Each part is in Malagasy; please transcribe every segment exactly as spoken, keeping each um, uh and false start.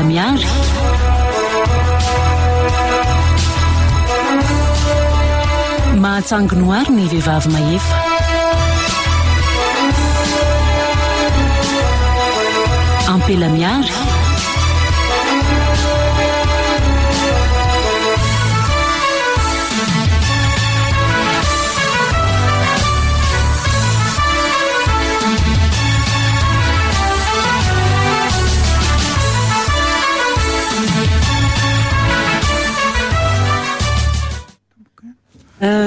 Ampela miary. Mahatsanginoary ny vehivavy mahefa. Ampela miary.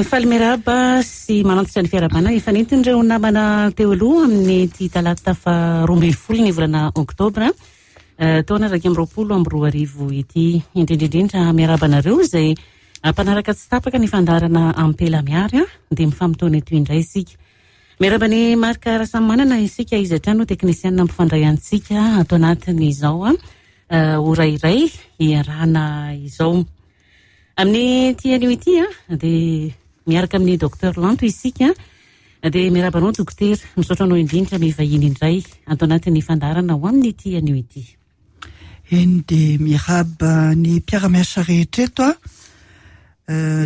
Faly miarahaba sy manantitra ny fiarahabana efa nentin'ireo namana teo aloha amin'ity talata faharoa ambin'ny folo ny volana oktobra taona iraika amby roapolo amby roa arivo ity. Indrindra indrindra miarahaba anareo izay mpanaraka tsy tapaka ny fandaharana Ampela Miary, dia mifamotoana eto indray isika. Miarahaba ny Marc Rasamanana isika, izy hatrany no teknisianina mpifandray antsika ato anatin'izao ora iray iarahana izao. Amin'ny ity anio ity dia miaraka amin'ny docteur Lanto isika, dia miarahaba anao dokotera, misaotra anao indrindra mivahiny indray ato anatin'ny fandaharana ho amin'ity anio ity. Eny, dia miarahaba ny mpiara-miasa rehetra eto a,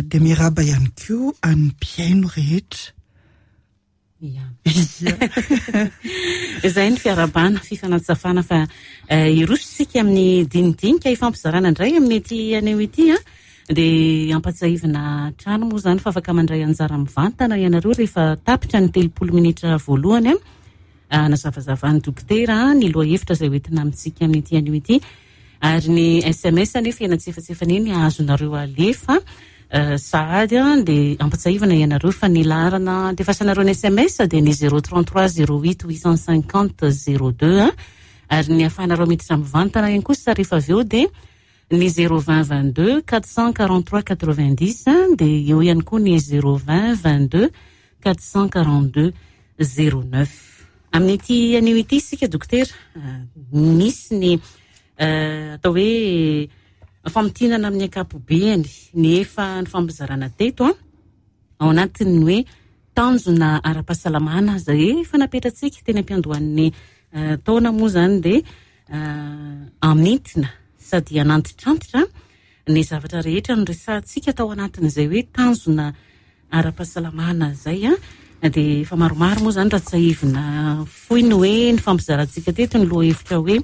dia miarahaba ihany koa an'ny mpihaino rehetra. Ia. Izay ny fiarahabana, fifanatsafana fa hiroso isika amin'ny dinidinika ifampizarana indray amin'ity anio ity a. Dia ampatsiahivina trano moa izany fa afaka mandray anjara mivantana ianareo rehefa tapitra ny telopolo minitra voalohany a. Nazavazavan'ny dokotera ny lohahevitra izay hoentina amintsika amin'ity anio ity, ary ny S M S anefa eny antsefatsefany eny azonareo alefa sahady a, dia ampatsiahivina ianareo fa ny laharana andefasanareo ny S M S dia ny zéro trente-trois zéro huit huit cent cinquante zéro deux a, ary ny ahafahanareo miditra mivantana ihany kosa rehefa avy eo dia ny zéro vingt vingt-deux quatre cent quarante-trois quatre-vingt-dix, dia eo ihany koa ny zéro vingt vingt-deux quatre cent quarante-deux zéro neuf. Amin'ity anio ity isika dokotera, misy ny atao hoe famintinana amin'ny ankapobeny ny efa nifampizarana teto a, ao anatin'ny hoe tanjona ara-pahasalamana izay efa napetratsika teny am-piandohan'ny taona moa izany, dia amintina sady hanantitrantitra ny zavatra rehetra noresahantsika tao anatin'izay hoe tanjona ara-pahasalamana izay a, dia efa maromaro moa izany raha tsiahivina fohy ny hoe nifampizarantsika teto ny lohahevitra hoe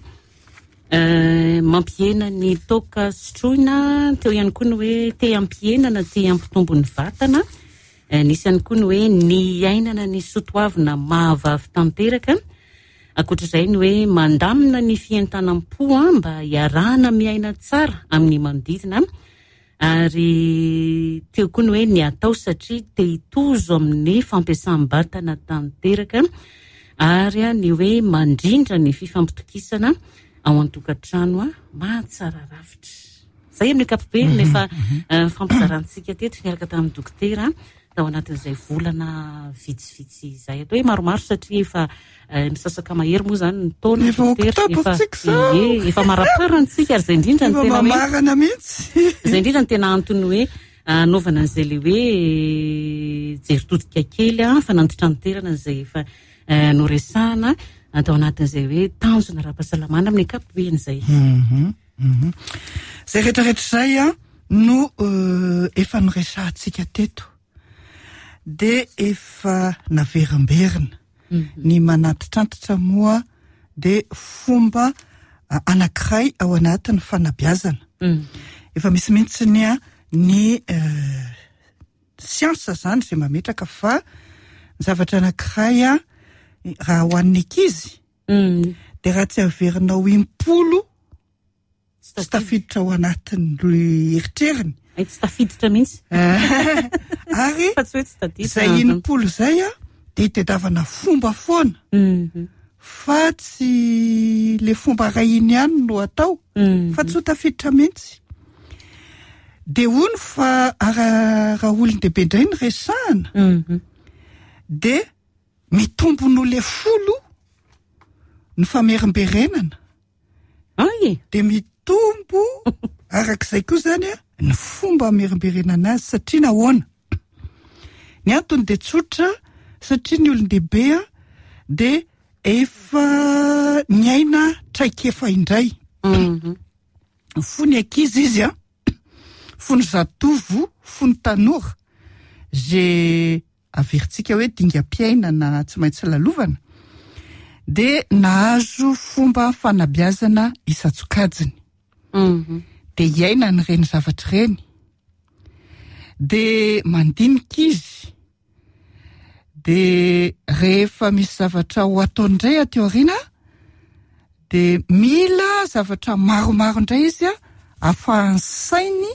mampihena ny toaka sotroina, teo ihany koa ny hoe te hampihena na te hampitombo ny vatana, nisy ihany koa ny hoe ny iainana ny soatoavina mahavavy tanteraka, ankoatr'izay ny hoe mandamina ny fientanam-po mba hiarahana miaina tsara amin'ny manodidina, ary teo koa ny hoe ny atao satria te hitozo amin'ny fampiasam-batana tanteraka, ary ny hoe mandrindra ny fifampitokisana ao an-tokantrano mahatsara rafitra. Izay amin'ny ankapobeny Mhm, efa mhm. nifampizarantsika teto niaraka tamin'ny dokotera tao anatin'izay volana vitsivitsy izay. Atao hoe maromaro satria efa misasaka mahery moa izany ny taona, Efa dokotera, oktobra efa tsika izao. ie, efa maraparana tsika, ary izay indrindra ny Efa tena hoe mamarana mihitsy. Izay indrindra ny tena antony hoe anaovana an'izay le hoe jery todika kely a, fanantitranterana izay efa noresahana atao anatin'izay hoe tanjona ara-pahasalamana amin'ny ankapobeny izay. Mhm, mhm. Izay rehetrarehetra izay a no, euh, efa noresahantsika teto, dia efa naverimberina. Mhm. Ny manantitrantitra moa dia fomba anankiray ao anatin'ny fanabeazana. Mhm. Efa misy mihitsy ny a, ny, euh, siansa izany izay mametraka fa ny zavatra anankiray a, raha ho an'ny ankizy, Mhm. dia raha tsy averinao impolo, Tsy tsy tafiditra ao anatin'ny eritreriny. Ay, tsy tafiditra mihitsy. Ary Fa tsy hoe tsy tadiditra. izay impolo izay a, dia hitadiavana fomba foana. Mhm. Fa tsy le fomba iray iny ihany no atao, Mhm. fa tsy ho tafiditra mihitsy. Dia hono fa ara-, raha olon-dehibe indray no resahana, Mhm. dia mitombo noho le folo ny famerimberenana. Ay! Dia mitombo arak'izay koa izany a, ny fomba amerimberenana azy, satria nahoana? Ny antony dia tsotra, satria ny olon-dehibe a, dia efa niaina traikefa indray. Mhm. Fony ankizy izy a, fony zatovo, fony tanora, ze averintsika hoe dingam-piainana tsy maintsy lalovana, de nahazo fomba fanabeazana isan-tsokajiny. Mhm. De iainany ireny zavatra ireny, de mandinika izy, de rehefa misy zavatra ho ataony indray aty aoriana, de mila zavatra maromaro indray izy a, ahafahan'ny sainy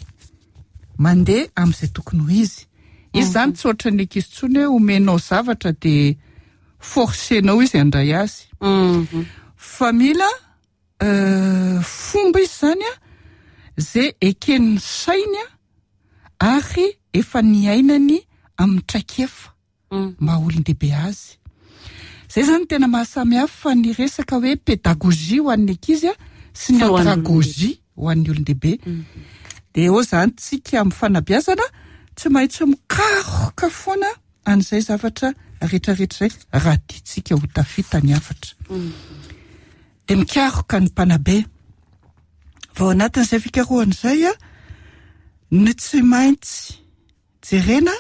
mandeha amin'izay tokony ho izy. Izy zany tsy ohatran'ny ankizy intsony hoe omenao zavatra de forcenao izy handray azy. Mhm. Fa mila euh, fomba izy zany a, zay eken'ny sainy a, ary efa niainany amin'ny traikefa Mm. maha olon-dehibe azy. Zay zany tena mahasamihafa ny resaka hoe pédagogie ho an'ny ankizy a sy ny Sy ho an'ny andragogie ho an'ny olon-dehibe. De eo zany tsika amin'ny fanabeazana tsy maintsy mikaroka foana an'izay zavatra rehetrarehetra izay raha tiantsika ho tafita ny hafatra. De mikaroka ny mpanabe. Vao anatin'izay fikarohana izay a, ny tsy maintsy jerena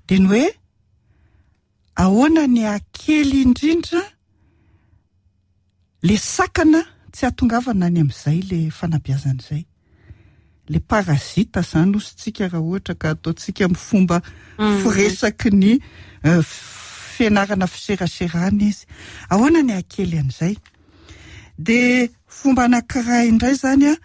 de ny hoe ahoana ny akely indrindra le sakana tsy hahatongavana any amin'izay le fanabeazana izay. Le parasita zany ositsika raha ohatra ka ataontsika amin'ny fomba firesaky ny euh, fianarana fiseraserana izy. Ahoana ny akely an'izay? De fomba anankiray indray zany a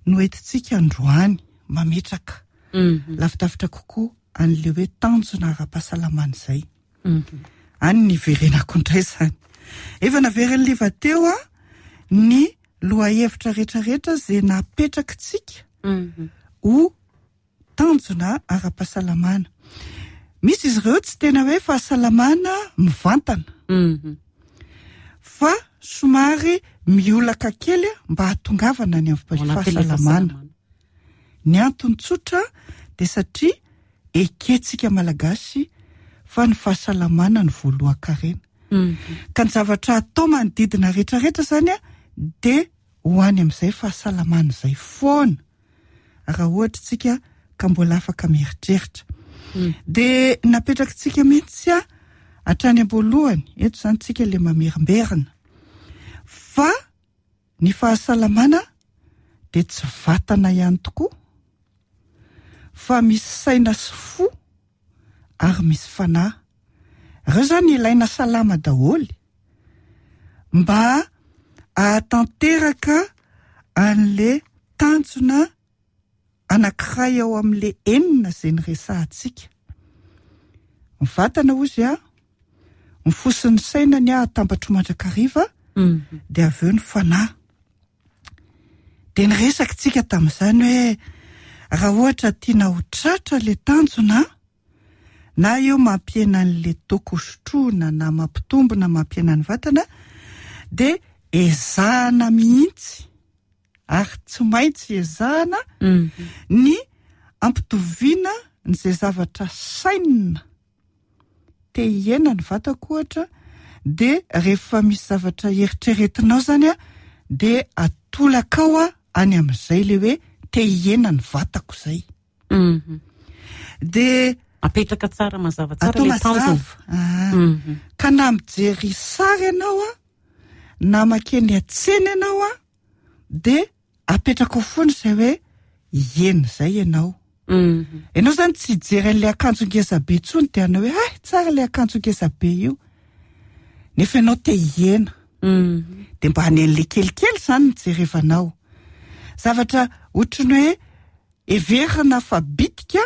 no entintsika androany mametraka Mhm. lavidavitra kokoa an'le hoe tanjona ara-pahasalamana izay. Mhm. Any ny verenako indray zany. Efa naverin'ny liva teo a ny lohahevitra rehetrarehetra zay napetrakitsika Mhm. ho tanjona ara-pahasalamana. Misy izy ireo tsy tena hoe fahasalamana mivantana, Mhm. fa somary miolaka kely a mba hahatongavana any amin'ny Ao anatin'ilay fahasalamana. fahasalamana. Ny antony tsotra de satria eketsika malagasy fa ny fahasalamana ny voalohan-karena. Mhm. Ka ny zavatra atao manodidina rehetrarehetra zany a de ho any amin'izay fahasalamana izay foana, raha ohatra tsika ka mbola afaka mieritreritra. Mm. De napetrakitsika mihitsy a hatrany am-boalohany, eto zany tsika le mamerimberina, fa ny fahasalamana de tsy vatana ihany tokoa, fa misy saina sy fo ary misy fanahy. Ireo zany ilaina salama daholo mba ahatanteraka an'le tanjona anankiray ao amin'le enina izay niresahantsika. Ny vatana ozy a, ny fo sy ny saina ny ahatambatro mandrakariva, Mhm. de avy eo ny fanahy. De niresaka tsika tamin'izany hoe raha ohatra tiana ho tratra le tanjona, na eo mampihena an'le toaka hosotroina na mampitombo na mampihena ny vatana, de ezahana mihitsy ary tsy maintsy ezahana Mhm. ny ampitoviana n'izay zavatra sainina. Te hihena ny vatako ohatra, de rehefa misy zavatra eritreretinao zany a, de atolakao a any amin'izay le hoe te hihena ny vatako zay. Mhm. De Apetraka tsara mazava tsara atao le tanjona. mazava. Ah. Mhm. Ka na mijery sary ianao a, na makeny an-tsena ianao a, de apetraka ao foana izay hoe hihena izay ianao. Mhm. Ianao zany tsy hijery an'ilay akanjo ngeza be intsony de hanao hoe ay tsara ilay akanjo ngeza be io, nefa ianao te hihena. Mhm. De mba any an'ilay kelikely zany no jerevanao. Zavatra ohatran'ny hoe heverina fa bitika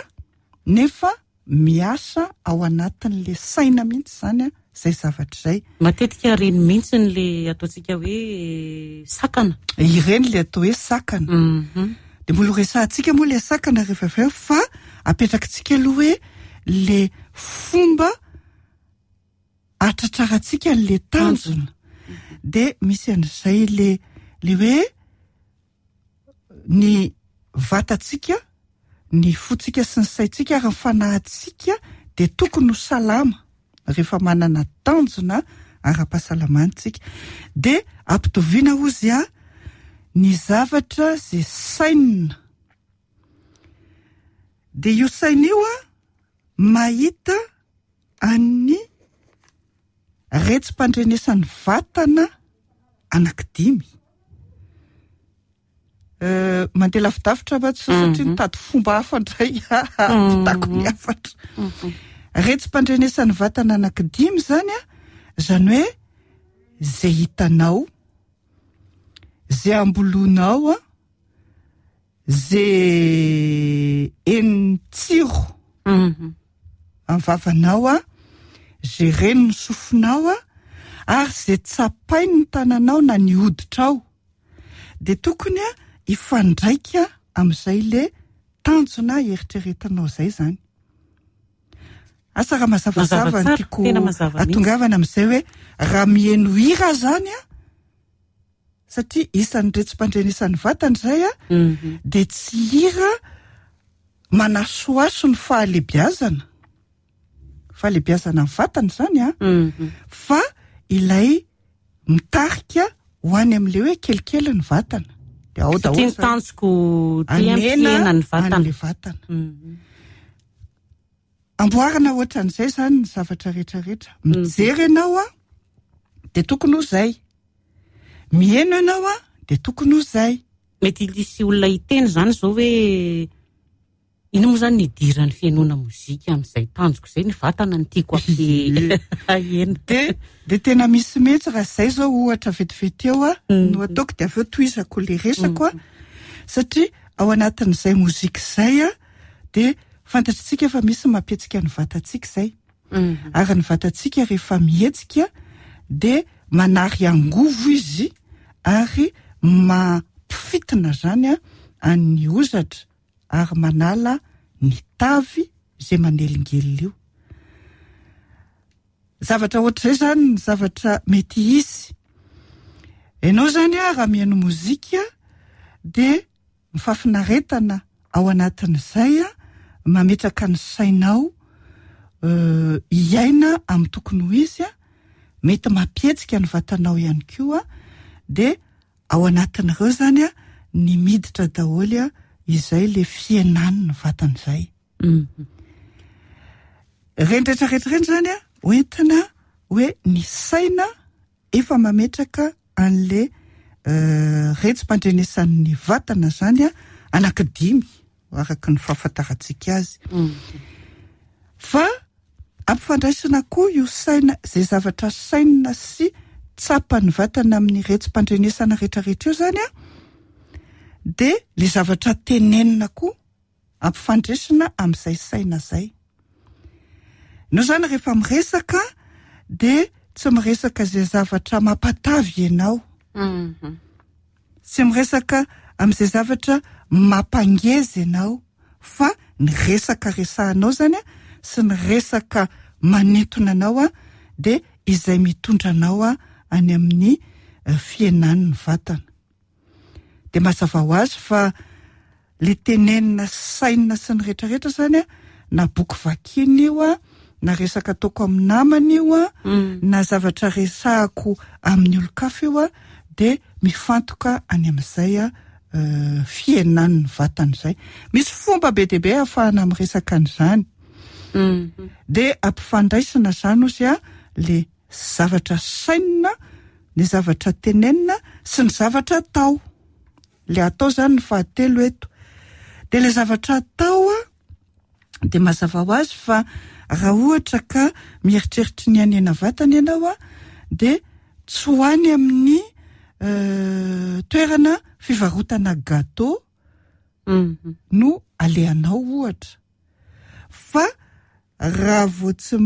nefa miasa ao anatin'le saina mihitsy zany a izay zavatra izay. Matetika ireny mihitsy ny le ataontsika hoe sakana. Ireny le atao hoe sakana. Mhm. De mbola ho resahantsika moa le sakana rehefa avy eo, fa apetrakitsika aloha hoe le fomba ahatratrarantsika an'le tanjona. De misy an'izay le, le hoe ny vatantsika, ny fotsika sy ny saintsika ary ny fanahintsika de tokony ho salama rehefa manana tanjona ara-pahasalamantsika. De ampitoviana ozy a Ny zavatra zay sainina, de io saina io a mahita an'ny retsi-pandrenesan'ny vatana anankidimy. Mandeha lavidavitra va tsy satria nitady fomba hafa indray ampitako ny hafatra. Retsi-pandrenesan'ny vatana anankidimy zany a, zany hoe zay hitanao, zay ambolonao a, zay enin'ny tsiro amin'ny vavanao a, zay renin'ny sofinao a, ary zay tsapain'ny tananao na ny hoditrao. De tokony a hifandraika amin'izay le tanjona eritreretinao zay zany. Asa raha mazavazava ny tiako atongavana amin'izay hoe raha mihaino hira zany a, satria isan'ny retsi-pandrenesan'ny vatana zay a, de tsy hira manasoaso ny fahalebiazana, fahalebiazana ny vatana zany a, fa ilay mitarika ho any amin'ilay hoe kelikely ny vatana. De ao daholo Satria ny tanjoko tia ny vatana. An'ilay vatana. Amboarina ohatran'izay zany ny zavatra rehetrarehetra. Mijery ianao a, de tokony ho zay. Mihaino ianao a, de tokony ho zay. Mety hisy olona hiteny zany zao hoe ino moa zany nidiran'ny fihainoana mozika amin'izay tanjoko izay, ny vatana ny tiako ampihena. De de tena misy mihitsy raha zay zao ohatra vetivety eo a no ataoko, de avy eo tohizako le resako a, satria ao anatin'izay mozika izay a, de fantatritsika fa misy mampihetsika ny vatantsika izay. Ary ny vatantsika rehefa mihetsika de manary angovo izy ary mampifitina zany a an'ny hozatra ary manala ny tavy izay manelingelina io. Zavatra ohatr'izay zany ny zavatra mety hisy. Ianao zany a raha mihaino mozika de mifafinaretana ao anatin'izay a, mametraka ny sainao hiaina amin'ny tokony ho izy a, mety mampihetsika ny vatanao ihany koa, de ao anatin'ireo zany a ny miditra daholo a izay le fihenan'ny vatana izay. Ireny rehetrarehetra ireny zany a hoentina hoe ny saina efa mametraka an'le retsi-pandrenesan'ny vatana zany a anankidimy araka ny fahafantarantsika azy. Fa ampifandraisina koa io saina izay zavatra sainina sy tsapan'ny vatana amin'ny retsi-pandrenesana rehetrarehetra io zany a, de le zavatra tenenina koa ampifandraisina amin'izay saina zay. No zany rehefa miresaka de tsy miresaka izay zavatra mampatavy ianao. Tsy miresaka amin'izay zavatra mampangeza ianao, fa ny resaka resahanao zany a sy ny resaka manintona anao a, de izay mitondra anao a any amin'ny fihenan'ny vatana. De mazava ho azy fa le tenenina sainina sy ny rehetrarehetra zany a, na boky vakina io a, na resaka ataoko amin'ny namana io a, na zavatra resahako amin'ny olon-kafa io a, de mifantoka any amin'izay a fihenan'ny vatana izay. Misy fomba be dia be ahafahana miresaka an'izany. De ampifandraisina zany ozy a le zavatra sainina, ny zavatra tenenina sy ny zavatra atao. Le atao zany ny fahatelo eto. De le zavatra atao a, de mazava ho azy fa raha ohatra ka mieritreritra ny hanena vatana ianao a, de tsy ho any amin'ny toerana fivarotana gâteau no alehanao ohatra. Fa raha vao tsy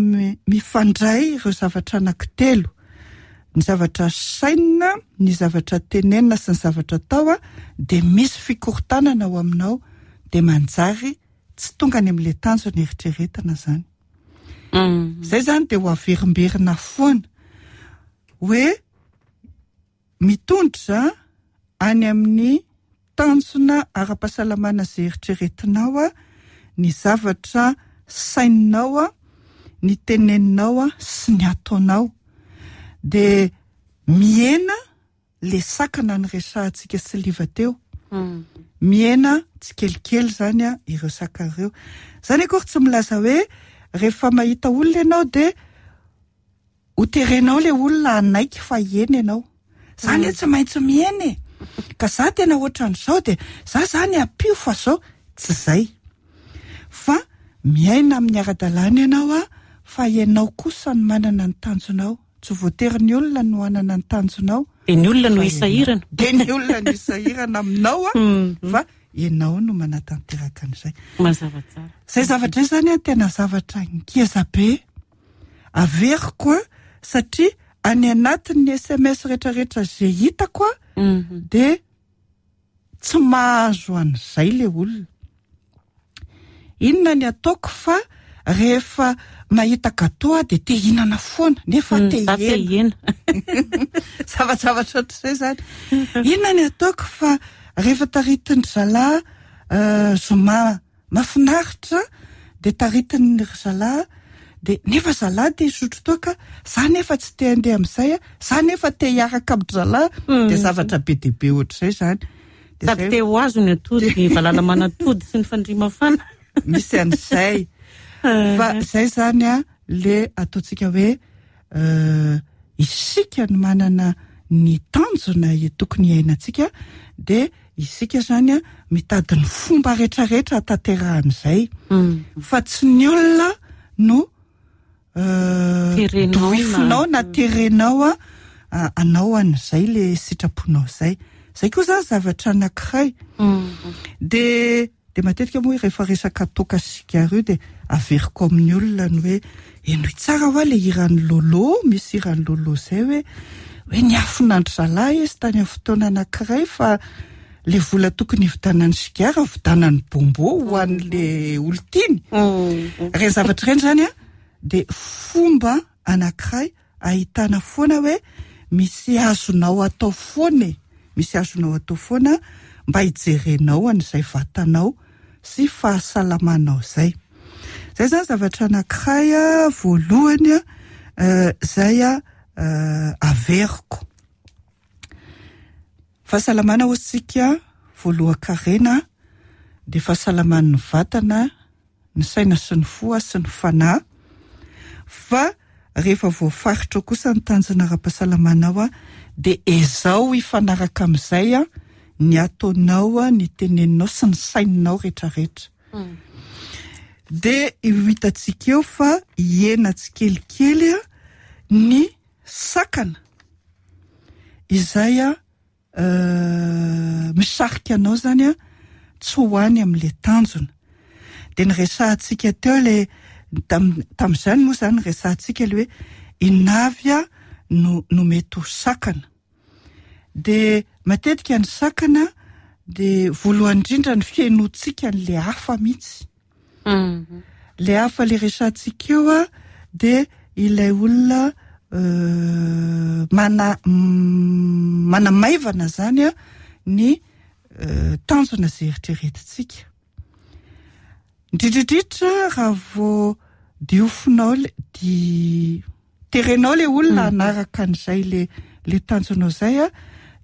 mifandray ireo zavatra anankitelo, ny zavatra sainina, ny zavatra tenenina sy ny zavatra atao a, de misy fikorontanana ao aminao, de manjary tsy tonga any amin'ilay tanjona eritreretina zany. Zay zany de ho averimberina foana hoe mitondra any amin'ny tanjona ara-pahasalamana izay eritreretinao a, ny zavatra saininao a, ny teneninao a sy ny ataonao. De mihena le sakana ny resahantsika sy liva teo. Mihena tsikelikely zany a ireo sakana ireo. Zany akory tsy milaza hoe rehefa mahita olona ianao de ho terenao le olona hanaiky fa hihena ianao. Zany hoe tsy maintsy mihena e. Ka za tena ohatran'izao de za zany ampio fa zao tsy zay. Fa miaina amin'ny ara-dalàna ianao a, fa ianao kosa no manana ny tanjonao. Tsy voatery ny olona no hanana ny tanjonao. De ny olona no isahirana. De ny olona no isahirana aminao a, fa ianao no manatanteraka an'izay. Mazava tsara. Zay zavatra izay zany a tena zavatra ngeza be. Averiko a, satria any anatin'ny S M S rehetrarehetra zay hitako a, de tsy mahazo an'izay le olona. Inona ny ataoko fa rehefa mahita gâteau aho de te hihinana foana, nefa Mm, te za te hihena. hihena. Zavajavatra ohatr'izay zany. Inona ny ataoko fa rehefa taritin-dry zalahy, euh, zoma mahafinaritra de taritin'ny ry zalahy, de nefa zalahy te hisotro toaka, za nefa tsy te handeha amin'izay a, za nefa te hiaraka amin-dry zalahy, de Mm. zavatra be dia be ohatr'izay zany. De Sady zay te ho azo ny atody, valala manatody sy ny fandriamafana. Misy an'izay. Fa zay zany a, le ataontsika hoe, euh, isika no manana ny tanjona tokony hiainantsika, de isika zany a mitady ny fomba rehetrarehetra hahatanterahan'izay. Mm. Fa tsy ny olona no, euh, Terenao na- doifinao na terenao a, a, anao an'izay le sitraponao zay. Zay koa zany zavatra anankiray. Mm. De, de matetika moa rehefa resaka toaka sigara io de averiko amin'ny olona ny hoe henoy tsara hoa le hiran'ny Lolo, misy hiran'ny Lolo zay hoe, hoe niafonandry zalahy izy tany amin'ny fotoana anankiray fa le vola tokony hividianany sigara vidianany bonbon ho an'le olon-tiany. Mm. Ireny zavatra ireny zany a de fomba anankiray ahitana foana hoe misy azonao atao foana e. Misy azonao atao foana mba hijerenao an'izay vatanao sy fahasalamanao zay. Zay zany zavatra anankiray a, voalohany a, euh, zay a, euh, averiko. Fahasalamana ho isika voalohan-karena de fahasalaman'ny vatana, ny saina sy ny fo sy ny fanahy. Fa rehefa voafaritra kosa ny tanjona ara-pahasalamanao a, de ezao hifanaraka amin'izay a, ny ataonao a, ny teneninao sy ny saininao rehetrarehetra. Mm. De io hitantsika eo fa hihena tsikelikely a, ny sakana izay a, euh, misarika anao zany a, tsy ho any amin'le tanjona. De ny resahantsika teo le, tam-, tamin'izany moa zany resahantsika le hoe inona avy a no, no mety ho sakana. De matetika ny sakana de voalohany indrindra ny fihainoantsika an'le hafa mihitsy. Mm. Le hafa le resahantsika eo a, de ilay olona, euh, mana-, mm, manamaivana zany a ny, euh, tanjona izay eritreretintsika. Indrindrindrindra raha vao diofinao le, di terenao le olona Mm. hanaraka an'izay le, le tanjonao zay a,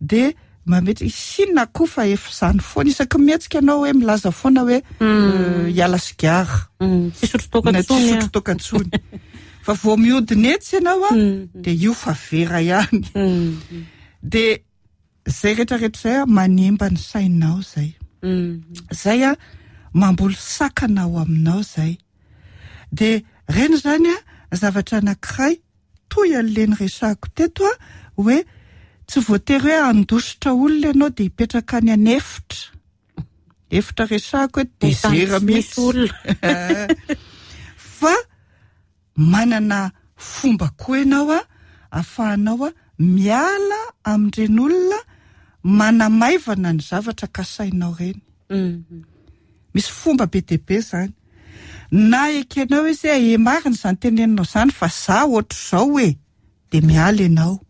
de mametra isina koa fa efa izany foana, isaky mihetsika ianao hoe milaza foana hoe, Mm. euh, hiala sigara. Mm. Tsy hisotro toaka Na tsy intsony a. hisotro toaka intsony. Fa vao mihodina etsy ianao a, Mm. de io fa vera ihany. Mm. De zay rehetrarehetra zay a, manimba ny sainao zay. Mm. Zay a, mamboly sakana ao aminao zay. De reny zany a, zavatra anankiray toy an'le niresahako teto a, hoe tsy voatery hoe handositra olona ianao de hipetraka any an'efitra. Efitra resahako hoe désert Misy mihitsy. olona. Fa manana fomba koa ianao a, ahafahanao a miala amin'ireny olona manamaivana ny zavatra kasainao ireny. Mm. Misy fomba be dia be zany. Na ekenao izy hoe, e, marina izany teneninao izany fa za ohatr'izao e, de miala ianao.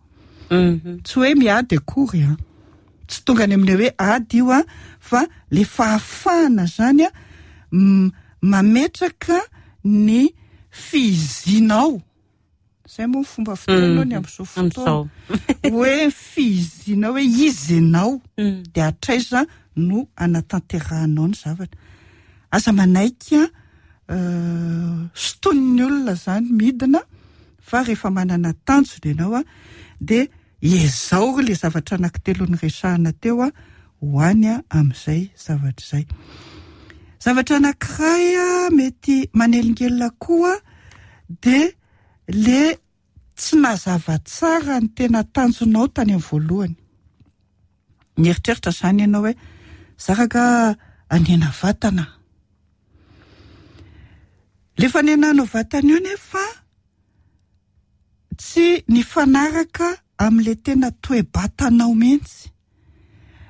Mm-hmm. Tsy hoe miady akory a. Tsy tonga any amin'ilay hoe ady io a, fa le fahafahana zany a, m-, mametraka ny fizinao. Zay moa fomba fiteny ny am'izao fotoana hoe fiizinao, hoe izy ianao, de hatraiza no anatanterahanao ny zavatra. Aza manaiky a soton'ny olona zany midina, fa rehefa manana tanjona ianao a, de ezao le zavatra anankitelo ny resahana teo a ho any a amin'izay zavatra izay. Zavatra anankiray a mety manelingelina koa de le tsy nazava tsara ny tena tanjonao tany amin'ny voalohany. Mieritreritra zany ianao hoe zaraka anena vatana, le fanenanao vatana io nefa tsy nifanaraka amin'le tena toe-batanao mihitsy.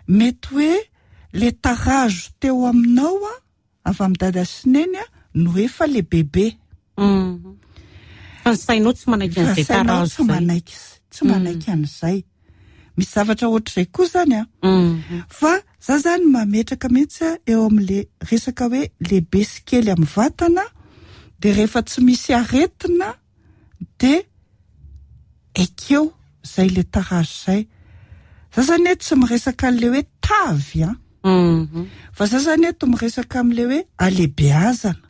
Mety hoe le tarazo teo aminao a avy amin'ny dada sy neny a no efa le bebe. Fa ny sainao tsy manaiky an'izay tarazo, tsy manaiky, tsy manaiky an'izay. Misy zavatra ohatr'izay koa zany a. Fa za zany mametraka mihitsy a eo amin'le resaka hoe lehibe sy kely amin'ny vatana, de rehefa tsy misy aretina de ekeo zay le tarazo zay. Za zany eto tsy miresaka an'le hoe tavy a, fa za zany eto miresaka amin'le hoe alehibeazana.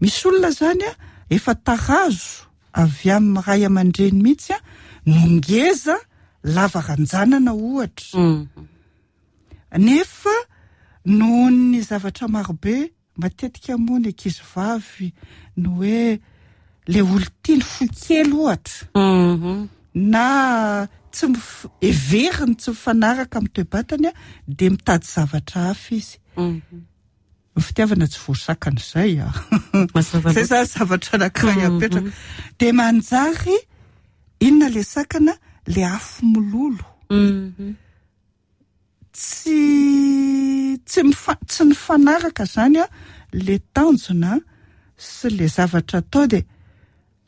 Misy olona zany a efa tarazo avy amin'ny ray aman-dreny mihitsy a no ngeza lava ranjanana ohatra, nefa noho ny zavatra marobe matetika moa ny ankizy vavy no hoe le olo tiany fo kely ohatra, na tsy mif- everiny tsy mifanaraka amin'ny toe-batany a, de mitady zavatra hafa izy. Ny fitiavana tsy voasakana izay a. Zay zany zavatra anankiray apetraka. De manjary inona le sakana? Le afo mololo. Tsy tsy mifa- tsy nifanaraka zany a le tanjona sy le zavatra atao, de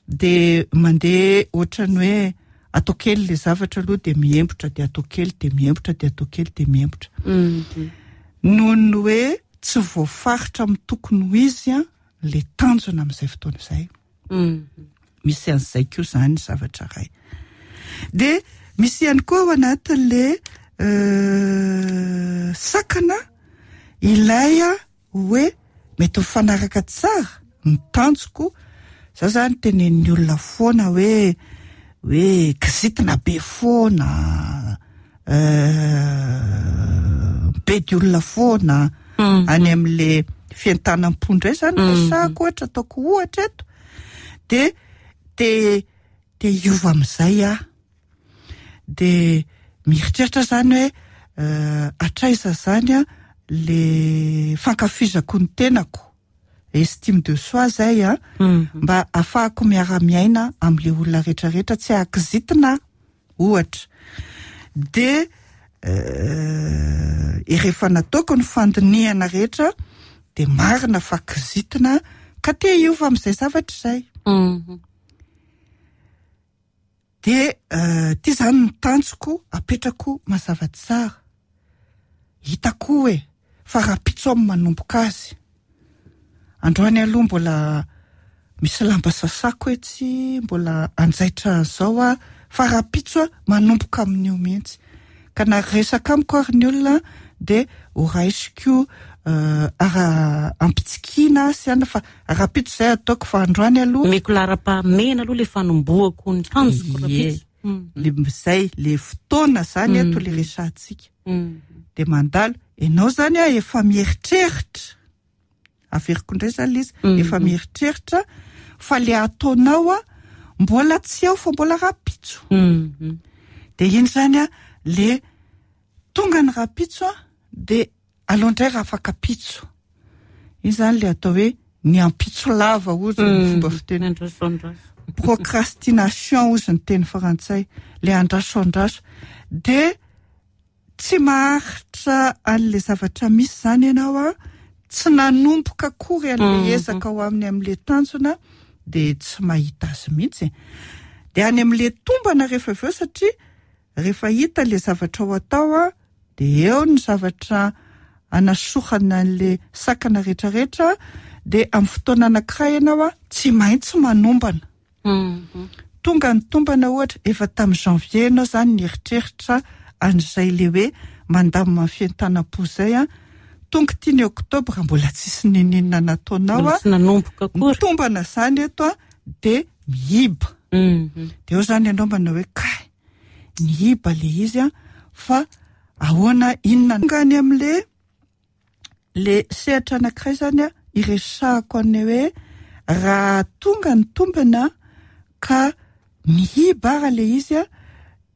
de mandeha ohatrany hoe atao kely le zavatra aloha de miembotra, de atao kely de miembotra, de atao kely de miembotra. Noho ny hoe tsy voafaritra amin'ny tokony ho izy a le tanjona amin'izay fotoana izay. Misy an'izay koa zany zavatra ray. De misy ihany koa ao anatin'le sakana ilay a hoe mety mifanaraka tsara ny tanjoko. Za zany tenenin'ny olona foana hoe hoe kizitina be foana, be di olona foana any amin'le fientanam-po indray zany resahako ohatra, ataoko ohatra eto, de de de hiova amin'izay aho. De mieritreritra zany hoe hatraiza zany a le fankafizako ny tenako, estime de soi zay a, mba ahafahako miara-miaina amin'le olona rehetrarehetra, tsy ahakizitina ohatra. De rehefa nataoko ny fandinihana rehetra de marina fa kizitina ka te hiova amin'izay zavatra izay. De ty zany ny tanjoko apetrako mazava tsara. Hitako hoe fa rahampitso aho manomboka azy. Androany aloha mbola misy lamba sasako etsy, mbola anjaitra zao a, fa rahampitso aho manomboka amin'io mihitsy. Ka na resaka amiko ary ny olona de ho raisiko ara ampitsikina sy ana, fa rahampitso zay ataoko, fa androany aloha meko laharam-pahamehana aloha le fanombohako ny tanjoko rahampitso. Le zay le fotoana zany eto le resahantsika. De mandalo ianao zany a efa mieritreritra, averiko indray zany le izy, efa mieritreritra fa le ataonao a mbola tsy ao fa mbola rahampitso. De iny zany a le tonga ny rahampitso a de aleo indray raha afaka pitso. Iny zany le atao hoe ny ampitso lava ozy ny fomba fiteny. Procrastination ozy ny teny frantsay, le andraso andraso. De tsy maharitra an'le zavatra misy zany ianao a, tsy nanomboka akory an'le ezaka ao aminy amin'le tanjona, de tsy mahita azy mihitsy. De any amin'le tombana rehefa avy eo, satria rehefa hita le zavatra ho atao a, de eo ny zavatra anasorana an'le sakana rehetrarehetra, de amin'ny fotoana anankiray ianao a tsy maintsy manombana. Tonga ny tombana ohatra efa tamin'ny janvier ianao zany nieritreritra an'izay le hoe mandamina ny fientanam-po zay a, tonga ty ny oktobra mbola tsisy nininona nataonao a, tsy nanomboka akory. Mitombana zany eto a de mihiba. De eo zany ianao manao hoe kay nihiba le izy a, fa ahoana, inona tonga any am'le le sehatra anankiray zany a iresahako any hoe raha tonga ny tombana ka mihiba ara le izy a,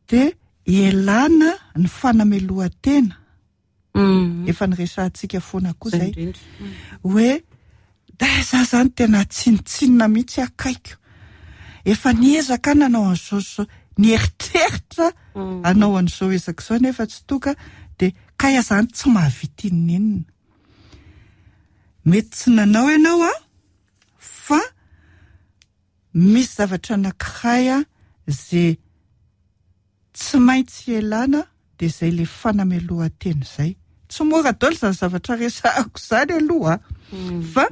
de ialana ny fanamelohan-tena. Efa niresahantsika foana koa zay hoe da za zany tena tsinotsinona mihitsy akaiko, efa niezaka nanao an'izao zao, nieritreritra anao an'izao ezaka izao nefa tsy tonga, de kay zany tsy mahavita inona. Mety tsy nanao ianao a, fa misy zavatra anankiray a zay tsy maintsy ialana, de zay le fanamelohan-tena zay. Tsy mora daholo zany zavatra resahako zany aloha, fa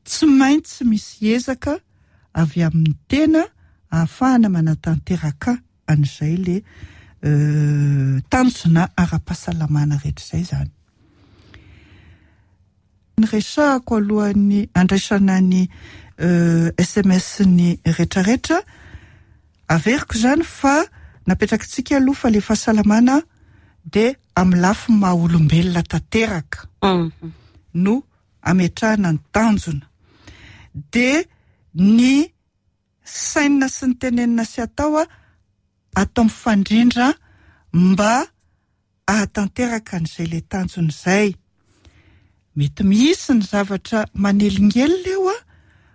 tsy maintsy misy ezaka avy amin'ny tena ahafahana manatanteraka an'izay le tanjona ara-pahasalamana rehetra izay zany. Ny resahako alohan'ny andraisana ny S M S ny rehetrarehetra, averiko zany fa napetrakitsika aloha fa le fahasalamana de amin'ny lafiny maha olombelona tanteraka no ametrahana ny tanjona. De ny saina sy ny tenenina sy atao a atao mifandrindra mba ahatanteraka an'izay le tanjona izay. Mety misy ny zavatra manelingelina eo a,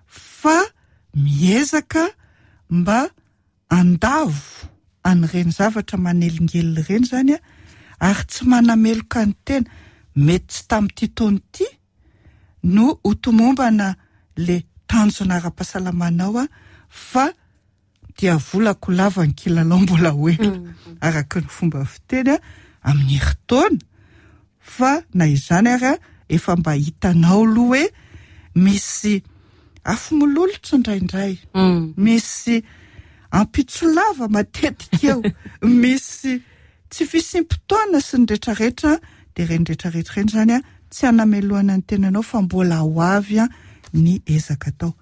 fa miezaka mba andavo an'ireny zavatra manelingelina ireny zany a, ary tsy manameloka ny tena. Mety tsy tamin'ity taona ity no ho tomombana le tanjona ara-pahasalamanao a, fa dia volako lava ny kilalao mbola ho ela, araka ny fomba fiteny a, amin'ny herintaona. Fa na izany ary a, efa mba hitanao aloha hoe misy afo mololotra indraindray, misy ampitso lava matetika eo, misy tsy fisiam-potoana sy ny rehetrarehetra. De ireny rehetrarehetra ireny zany a tsy hanamelohana ny tenanao fa mbola ho avy a ny ezaka atao.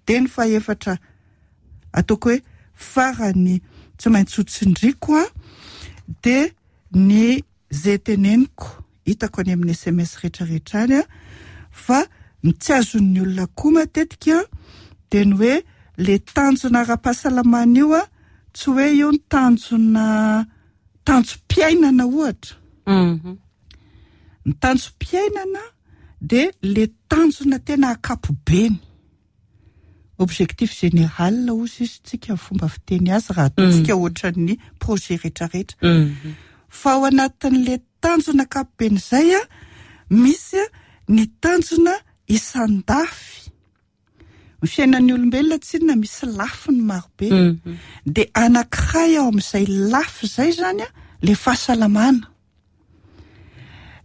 De ny fahefatra ataoko hoe farany tsy maintsy ho tsindriko a, de ny zay teneniko hitako any amin'ny S M S rehetrarehetra any a, fa ny tsy azon'ny olona koa matetika de ny hoe le tanjona ara-pahasalamana io a, tsy hoe io ny tanjona tanjom-piainana ohatra. Ny tanjom-piainana de le tanjona tena ankapobeny, objectif général ozy izy tsika fomba fiteny azy raha ataontsika ohatran'ny projet rehetrarehetra. Fa ao anatin'le tanjona ankapobeny izay a, misy ny tanjona isan-dafy. Ny fiainan'ny olombelona tsinona misy lafiny marobe. De anankiray ao amin'izay lafy izay zany a, le fahasalamana.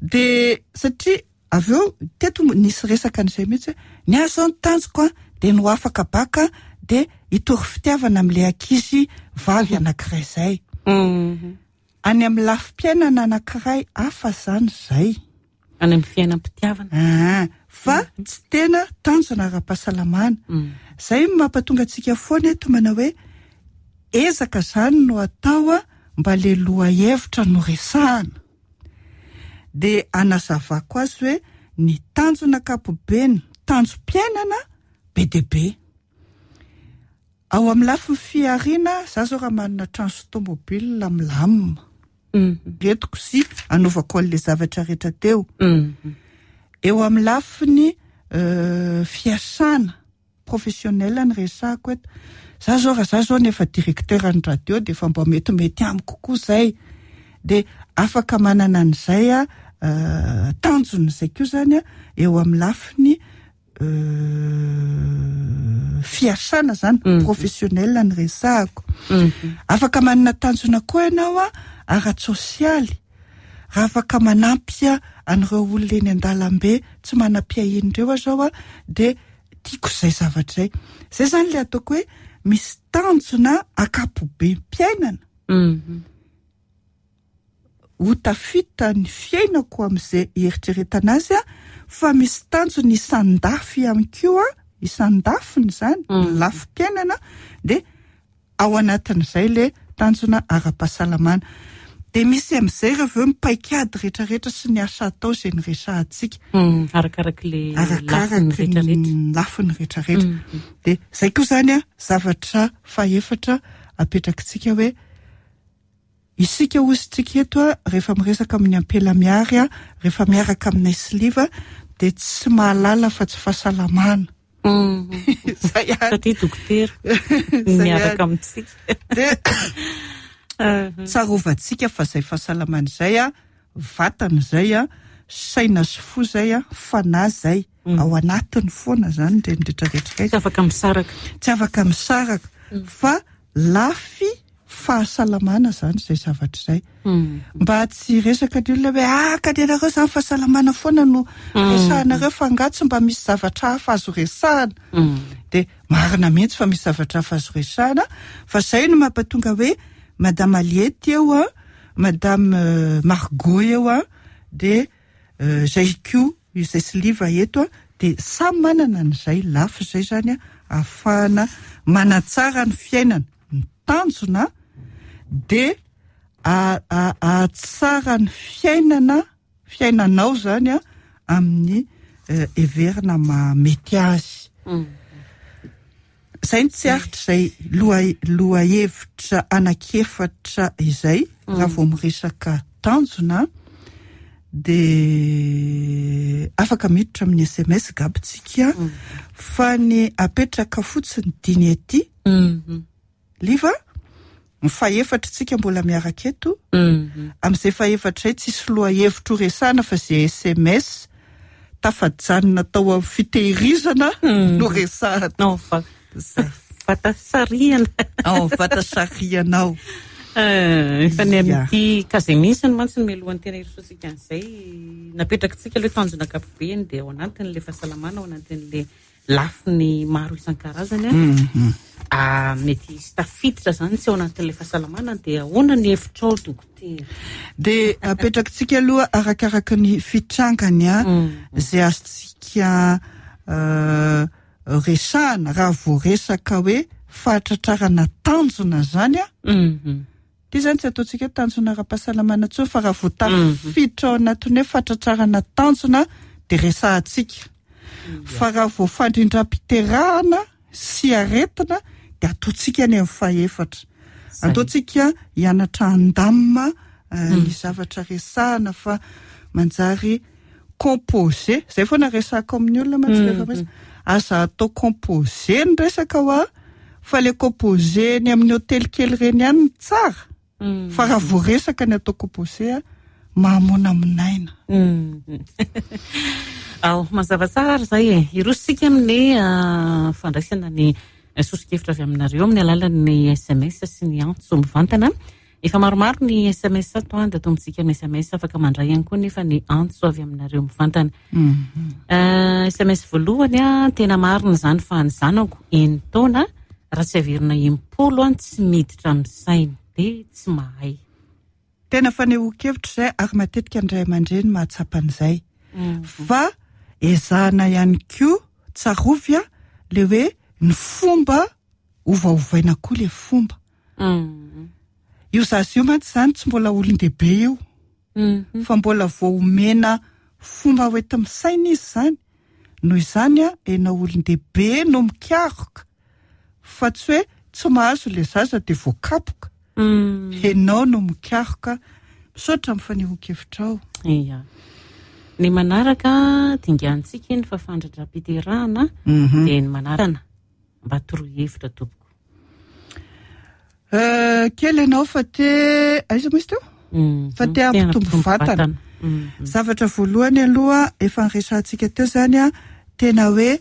De satria avy eo teto nisy resaka an'izay mihitsy hoe ny ahy zao ny tanjoko a, de no afaka baka de hitory fitiavana amin'ilay ankizy vavy anankiray izay. Any amin'ny lafim-piainana anankiray hafa zany izay. Any amin'ny fiainam-pitiavana. Ah, fa tsy tena tanjona ara-pahasalamana. Izay no mampatonga antsika foana eto manao hoe ezaka zany no atao a, mba le lohahevitra no resahana. De anazavako azy hoe ny tanjona ankapobeny, tanjom-piainana be dia be. Ao amin'ny lafiny fihariana, za zao raha manana trano sy tomobile milamina. Entiko sy anaovako an'ilay zavatra rehetra teo. Eo amin'ny lafiny fiasana professionnel ny resahako eto. Za zao raha za zao nefa directeur ny radio de efa mba metimety amiko kokoa zay. De afaka manana an'izay a, tanjona izay koa zany a, eo amin'ny lafiny fiasana zany, professionnel ny resahako. Afaka manana tanjona koa ianao a, ara-tsosialy. Raha afaka manampy an'ireo olona eny an-dalambe tsy manam-piahiana ireo aho zao a, de tiako izay zavatra izay. Izay zany le ataoko hoe Misy tanjona ankapobem-piainana Mhm. ho tafita ny fiainako amin'izay eritreretana azy a, fa misy tanjona isan-dafy ihany koa, isan-dafiny zany, Mm. lafim-piainana, de ao anatin'izay le tanjona ara-pahasalamana. De misy amin'izay rehefa eo mipaikady rehetrarehetra sy ny asa atao izay nyresahantsika. Mm, arakaraky le lafiny Arakaraky rehetrarehetra. ny lafiny rehetrarehetra. Mm. De zay koa zany a zavatra fahefatra apetrakitsika hoe isika ozytsika eto a, rehefa miresaka amin'ny ampela miary a, rehefa miaraka aminay siliva, de tsy mahalala fa tsy fahasalamana. Mm. Zay ihany. Satria dokotera Zay miaraka ihany. amintsika. De Mhm. tsarovantsika fa zay fahasalamana izay a, vatana izay a, saina sy fo zay a, fanahy zay. Mm. Ao anatiny foana zany ireny rehetrarehetra ireny. Tsy afaka misaraka. Tsy afaka misaraka. Fa lafy fahasalamana zany izay zavatra izay. Mm. Mba tsy resaka ny olona hoe ah, ka ny anareo zany fahasalamana foana no Mm. resahanareo, fa angaha tsy mba misy zavatra hafa azo resahana? Mm. De marina mihitsy fa misy zavatra hafa azo resahana, fa zay no mampatonga hoe Madame Aliette eo a, Madame euh, Margot eo a, de euh, zay koa izay siliva eto a, de samy manana an'izay lafy zay zany a, ahafahana manatsara ny fiainana. Ny tanjona de a- a- ahatsara ny fiainana, fiainanao zany a, amin'ny eh, heverina mahamety azy. Mm. Zay ny tsy aritra izay loha, lohahevitra anankiefatra izay. Raha vao miresaka tanjona de afaka miditra amin'ny S M S gabitsika, fa ny apetraka fotsiny diny aty. Mhm. Liva, ny fahefatra tsika mbola miaraka eto. Mhm. Amin'izay fahefatra izay tsisy lohahevitra ho resahana fa izay S M S tafajanona tao amin'ny fitehirizana Mm. no resahana. No, fa Zay. vatasarihana. Ao vatasarihana ao. Eh, efa ny Ya. amin'ity kaze mihitsy ny mantsy ny mialohan'ny tena hirosoantsika an'izay napetrakitsika aloha tanjona ankapobeny, dia ao anatin'ilay fahasalamana, ao anatin'ilay lafiny maro isan-karazany a. Mhm. Ah, mety hisy tafiditra zany tsy ao anatin'ilay fahasalamana, dia ahoana ny hevitrao dokotera? De apetrakitsika aloha arakaraka ny fitrangany a, Mm. izay azontsika, euh, resahana raha voaresaka hoe fahatratrarana tanjona zany a. Mhm. Ty zany tsy ataontsika tanjona ara-pahasalamana intsony, fa raha vao tafiditra ao anatin'ny hoe fahatratrarana tanjona de resahantsika. Fa raha vao fandrindram-piterahana sy aretina de ataontsika any amin'ny fahefatra. Zay. Ataontsika hianatra handamina, euh, ny zavatra resahana fa manjary composé. Zay foana resahako amin'ny olona mantsy Mm. rehefa misy. Aza atao composé ny resaka ho a, fa le composé ny amin'ny hôtely kely ireny ihany no tsara. Mm. Fa raha voaresaka ny atao composé a, mahamonamonaina. Mm. Ao, mazava tsara ary zay e. Hirosontsika amin'ny, ah, fandraisana ny soso-kevitra avy aminareo amin'ny alalan'ny S M S sy ny antso mivantana. Efa maromaro ny S M S ato, dia atombotsika amin'ny S M S, afaka mandray ihany koa nefa ny antso avy aminareo mivantana. Mm. Eh, S M S voalohany a, tena marina izany fa ny zanako enin-taona raha tsy averina impolo a, tsy miditra amin'ny sainy, dia tsy mahay. Tena fanehoan-kevitra izay ary matetika ny ray aman-dreny mahatsapa an'izay. Mm. Fa ezahana ihany koa tsarovy a, le hoe ny fomba ovaovaina koa le fomba. Mm. Io zaza io mantsy izany tsy mbola olon-dehibe io. Mm. Fa mbola vao omena fomba hoenti-misaina izy izany. Noho izany a, ianao olon-dehibe no mikaroka. Fa tsy hoe tsy mahazo le zaza dia voakapoka. Mm. Ianao no mikaroka. Misaotra amin'ny fanehoan-kevitrao. Ia. Ny manaraka dingantsika iny fa fandrindram-piterahana, Mhm. dia ny manarana mba torohevitra tompoko. Euh, kely ianao fa te aiza moa izy teo? Mm. Fa te hampitombo Te hampitombo vatana. vatana. Mm. Zavatra voalohany aloha efa niresahantsika teo zany a, tena hoe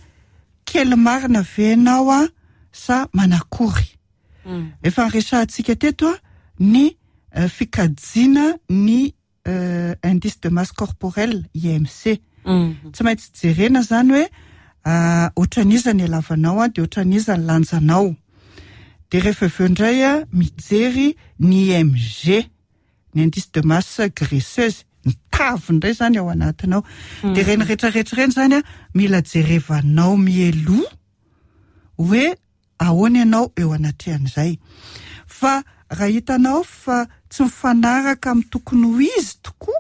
kely marina ve ianao a sa manakory? Mm. Efa niresahantsika teto a ny, euh, fikajiana ny, euh, indice de masse corporelle I M C. Mm. Tsy maintsy jerena zany hoe, ah, ohatran'iza ny halavanao a, dia ohatran'iza ny lanjanao. De rehefa aveo indray a mijery ny I M G, ny indice de masse graisseuse, ny tavy indray zany ao anatinao. De reny rehetrarehetra reny zany a mila jerevanao mialoha hoe ahoana ianao eo anatrehan'izay. Fa raha hitanao fa tsy mifanaraka amin'ny tokony ho izy tokoa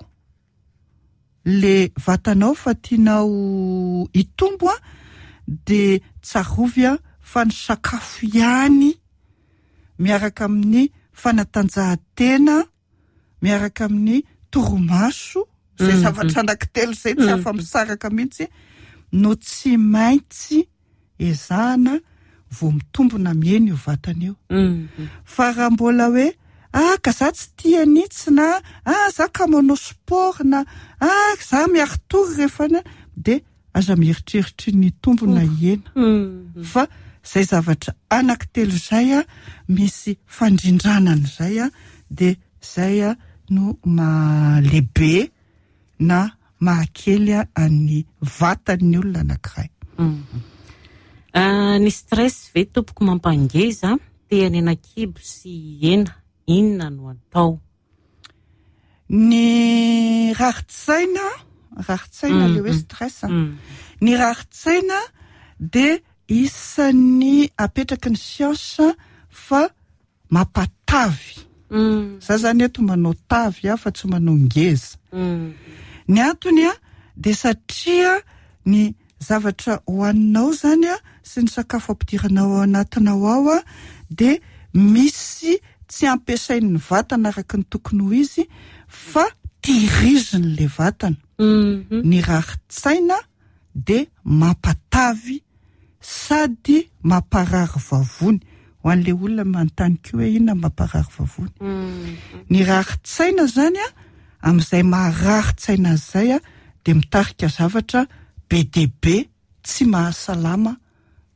le vatanao fa tianao hitombo a de tsarovy a fa ny sakafo ihany miaraka amin'ny fanatanjahantena, miaraka amin'ny toromaso zay, Mhm. zavatra anankitelo zay tsy afa misaraka mihitsy no tsy maintsy ezahana vo mitombona mihena io vatana io. Mhm. Fa raha mbola hoe ah ka za tsy tia anitsy, na ah za ka manao sport, na ah za miaritory rehefa any, de aza mieritreritra ny tombona hena. Mhm. Fa zay zavatra anankitelo zay a misy fandrindranan'izay a de zay a no mahalehibe na mahakely a an'ny vatan'ny olona anankiray. Mhm. Ah, ny stress ve tompoko mampangeza? Te hanena kibo sy hena, inona no atao? Ny rarin-tsaina, rarin-tsaina le hoe Mhm. stress a. Mm. Ny rarin-tsaina de isan'ny apetraky ny siansa fa mampatavy. Mm. Za zany eto manao tavy a fa tsy manao ngeza. Mm. Ny antony a de satria ny zavatra hohaninao zany a sy ny sakafo ampidiranao ao anatinao ao a de misy tsy ampiasain'ny vatana araka ny tokony ho izy fa tehiriziny le vatana. Mhm. Ny rarin-tsaina de mampatavy sady mamparary vavony, ho an'le olona manontany ko hoe inona mamparary vavony. Mm. Ny rarin-tsaina zany a amin'izay maharary-tsaina zay a de mitarika zavatra be de be tsy mahasalama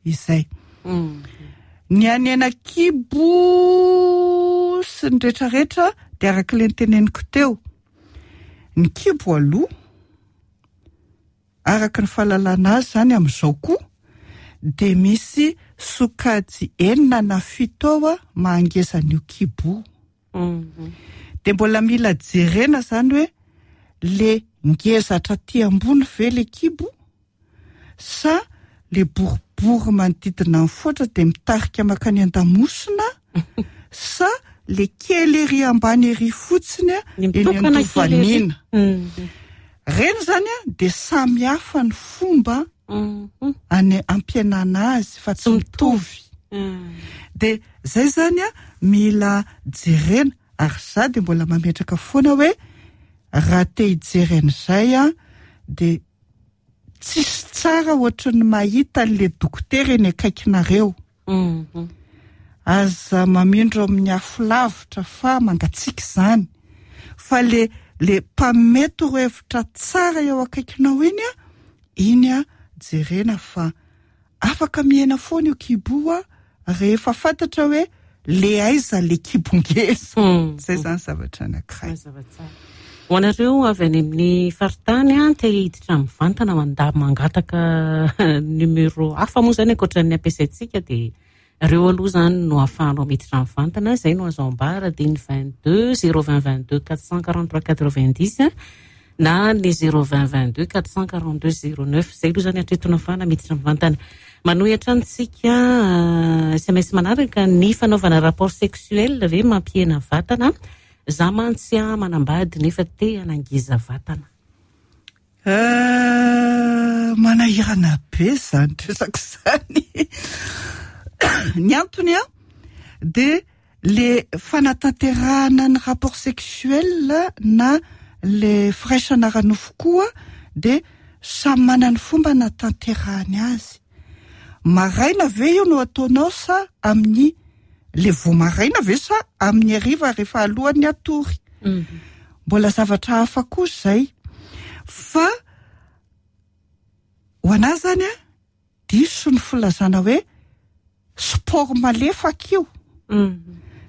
izay. Mm. Ny hanena kibo sy ny rehetrarehetra de araka le niteneniko teo, ny kibo aloha araka ny fahalalana azy zany amin'izao koa de misy sokajy enina na fito ao a mahangezan'io kibo. Mhm. De mbola mila jerena zany hoe le ngezatra ty ambony ve le kibo sa le boribory manodidina ny foatra de mitarika makany an-damosina, sa le kely ery ambany ery fotsiny a Ny eny mitokana kely ery. andovanina Mhm. reny zany a de samy hafa ny fomba Mhm. any ampiainana azy fa tsy Tsy mitovy. Mm. De zay zany a mila jerena, ary za de mbola mametraka foana hoe raha te hijery an'izay a de tsisy tsara ohatry ny mahita an'le dokotera eny akaikinareo. Mhm. Aza mamindro amin'ny afo lavitra fa mangatsiaka zany, fa le le mpanome torohevitra tsara eo akaikinao iny a iny a jerena fa afaka mihena foana io kibo a rehefa fantatra hoe le aiza le kibongeza. Mm. Zay zany zavatra anankiray. Mazava tsara. Ho anareo avy any amin'ny faritany a te hiditra mivantana, manda mangataka numéro hafa moa zany ankoatran'ny ampiasaintsika, de reo aloha zany no ahafahanao miditra mivantana. Zay no azo ambara, de ny vingt deux zéro vingt vingt deux quatre cent quarante trois quatre vingt dix na ny zéro vingt vingt deux quatre cent quarante deux zéro neuf. Zay aloha zany hatreto no ahafahana miditra mivantana. Manohy hatrany tsika, S M S manaraka: ny fanaovana rapport sexuel ve mampihena vatana? Za mantsy a manambady nefa te hanangeza vatana. Euh, manahirana be zany resaka zany. Ny antony a de le fanatanterahana ny rapport sexuel na le firaisana ara-nofo koa de samy manana ny fomba natanterahany azy. Maraina ve io no ataonao sa amin'ny le vo maraina ve sa amin'ny hariva rehefa alohan'ny atory? Mbola zavatra hafa koa zay. Fa ho anazy zany a diso ny filazana hoe sport malefaka io,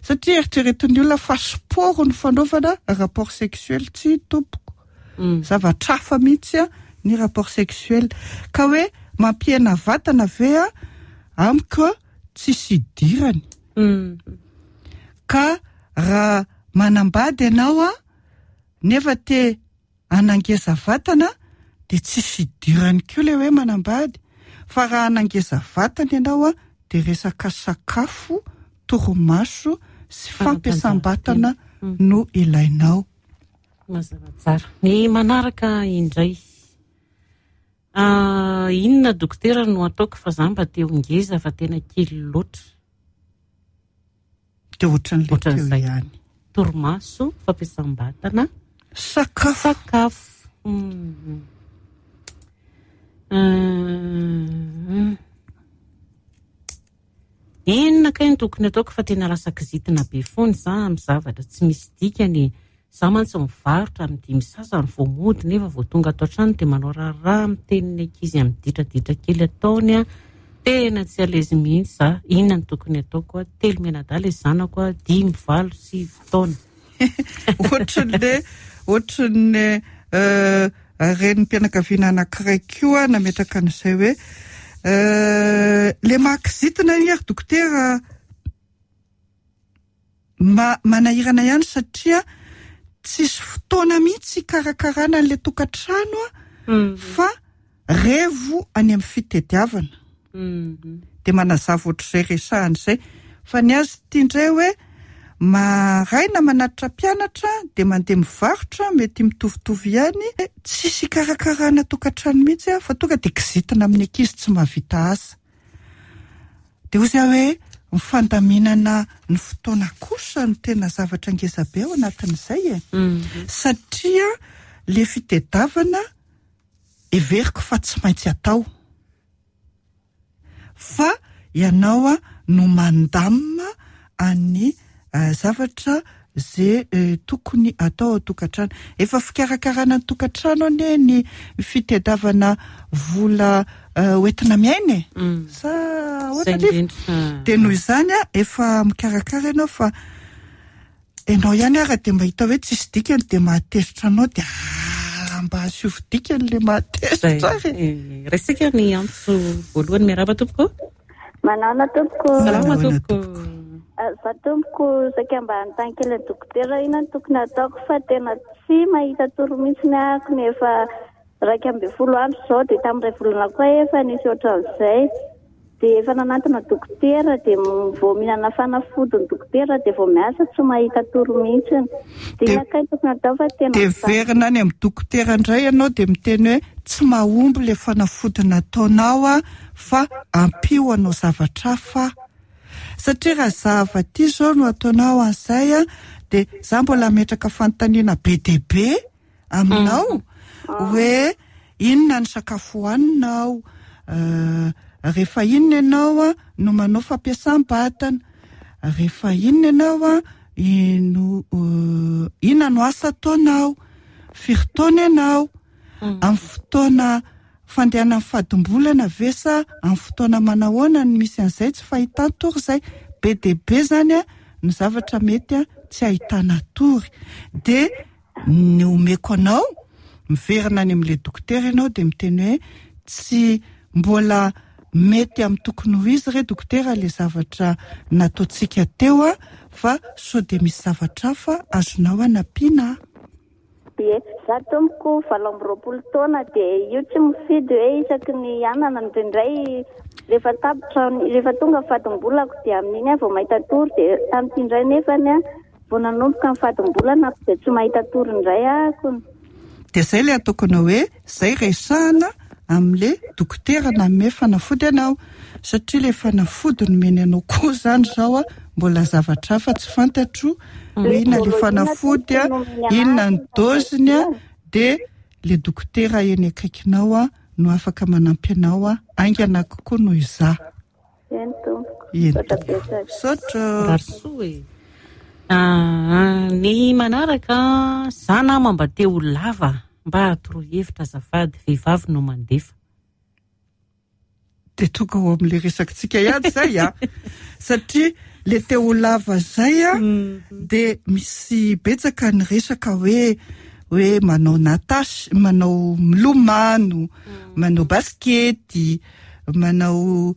satria eritreretin'ny olona fa sport ny fanaovana rapport sexuel. Tsy tompoko, zavatra hafa mihitsy a ny rapport sexuel. Ka hoe mampihena vatana ve a amiko tsisy idirany. Ka raha manambady ianao a nefa te hanangeza vatana de tsisy idirany koa le hoe manambady, fa raha hanangeza vatana ianao a de resaka sakafo, torimaso sy fampiasam-batana no ilainao. Mazava tsara. Ny manaraka indray, inona dokotera no ataoko fa za mba te ho ngeza fa tena kely loatra? De ohatran'ilay teo Ohatran'izay. ihany. Torimaso, fampiasam-batana, sakafo. Sakafo. Mm. Mm. Inona kay no tokony ataoko fa tena lasa kizitina be foana za amin'ny zavatra tsy misy dikany. Za mantsy mivarotra amin'ny dimy sasany vao mody nefa vao tonga ato an-trano dia manao raharaha miteniny ankizy amin'ny ditraditra kely ataony a. Tena tsy alezy mihitsy za. Inona no tokony ataoko a? Telo mianadahy ilay zanako a, dimy, valo, sivy taona. Ohatran'le, ohatran'ny, euh, renim-pianakaviana anankiray koa nametraka an'izay hoe, euh, le mahakizitina iny ary dokotera ma-, manahirana ihany satria tsisy fotoana mihitsy hikarakarana an'ilay tokantrano a, Mm. fa revo any amin'ny fitediavana. Mm. De manazava ohatr'izay resahana izay. Fa ny azy ity indray hoe maraina manatitra mpianatra de mandeha mivarotra, mety mitovitovy ihany, tsisy hikarakarana tokantrano mihitsy a, fa tonga de kizitina amin'ny ankizy tsy mahavita asa. De hoy izy hoe ny fandaminana ny fotoana kosa no tena zavatra ngeza be ao anatin'izay e. Mm. Satria le fitediavana heveriko fa tsy maintsy atao. Fa ianao a no mandamina any, eh, zavatra ze, eh, tokony atao ao tokantrano. Efa fikarakarana ny tokantrano anie ny fitediavana vola, eh, hoentina miaina e. Mm. Sa Zay ahoana nefa? indrindra. De noho izany a, efa mikarakara ianao fa ianao ihany ara de mahita hoe tsisy dikany de mahatezitra anao de ah, mba asio dikany le mahatezitra Zay. ary. Eh, raisika ny antso voalohany. Miarahaba tompoko. Manana tompoko. Salama Manana tompoko. tompoko. Ah, za tompoko saika mba hanontany kely ny dokotera inona no tokony ataoko fa tena tsy mahita toro mihitsy ny ahako nefa iraika ambin'ny folo andro izao dia tamin'iray volana koa efa nisy ohatran'izay. Dia efa nanantona dokotera dia m-, vao mihinana fanafody ny dokotera dia vao miasa tsy mahita toro mihitsy. Dia Dia inona kay no tokony atao fa tena dia mijaly. verina any amin'ny dokotera indray ianao dia miteny hoe tsy mahomby ilay fanafody nataonao a, fa ampio anao zavatra hafa. Satria raha zava-ty izao no ataonao an'izay a, dia za mbola hametraka fanontaniana be dia be aminao Mm. hoe inona ny sakafo hohaninao, eh, rehefa inona ianao a no manao fampiasam-batana, rehefa inona ianao a ino, eh, inona no asa ataonao, firy taona ianao, Mm. amin'ny fotoana fandehanan'ny fadimbolana ve sa amin'ny fotoana manahoana no misy an'izay tsy fahitan-tory izay. Be dia be zany a ny zavatra mety a tsy ahitana tory. Dia ny omeko anao, miverina any amin'ilay dokotera ianao dia miteny hoe tsy mbola mety amin'ny tokony ho izy re dokotera ilay zavatra nataontsika teo a, fa sao dia misy zavatra hafa azonao anampiana. Ie, za tompoko valo amby roapolo taona dia io tsy mifidy hoe isaky ny anana indraindray rehefa tapitra, rehefa tonga fadimbolako dia amin'iny aho vao mahita tory, dia tamin'ity indray nefany a vao nanomboka ny fadimbolana dia tsy mahita tory indray ahako. Dia izay ilay ataoko anao hoe izay resahana amin'ilay dokotera nanome fanafody anao, satria ilay fanafody nomeny anao koa izany izao a mbola zavatra hafa tsy fantatro hoe inona ilay fanafody a, inona ny doziny a, dia ilay dokotera eny akaikinao a no afaka manampy anao a haingana kokoa noho izaho. Eny tompoko. Eny Misaotra tompoko. betsaka. Misaotra. Mirary soa e. Ah, ny manaraka, za nama mba te ho lava, mba atoroy hevitra azafady, vehivavy no mandefa. Dia tonga ao amin'ilay resakitsika ihany izay a. Satria le te ho lava izay a, Mm. dia misy betsaka ny resaka hoe, hoe manao natasy, manao milomano, Mm. manao baskety, manao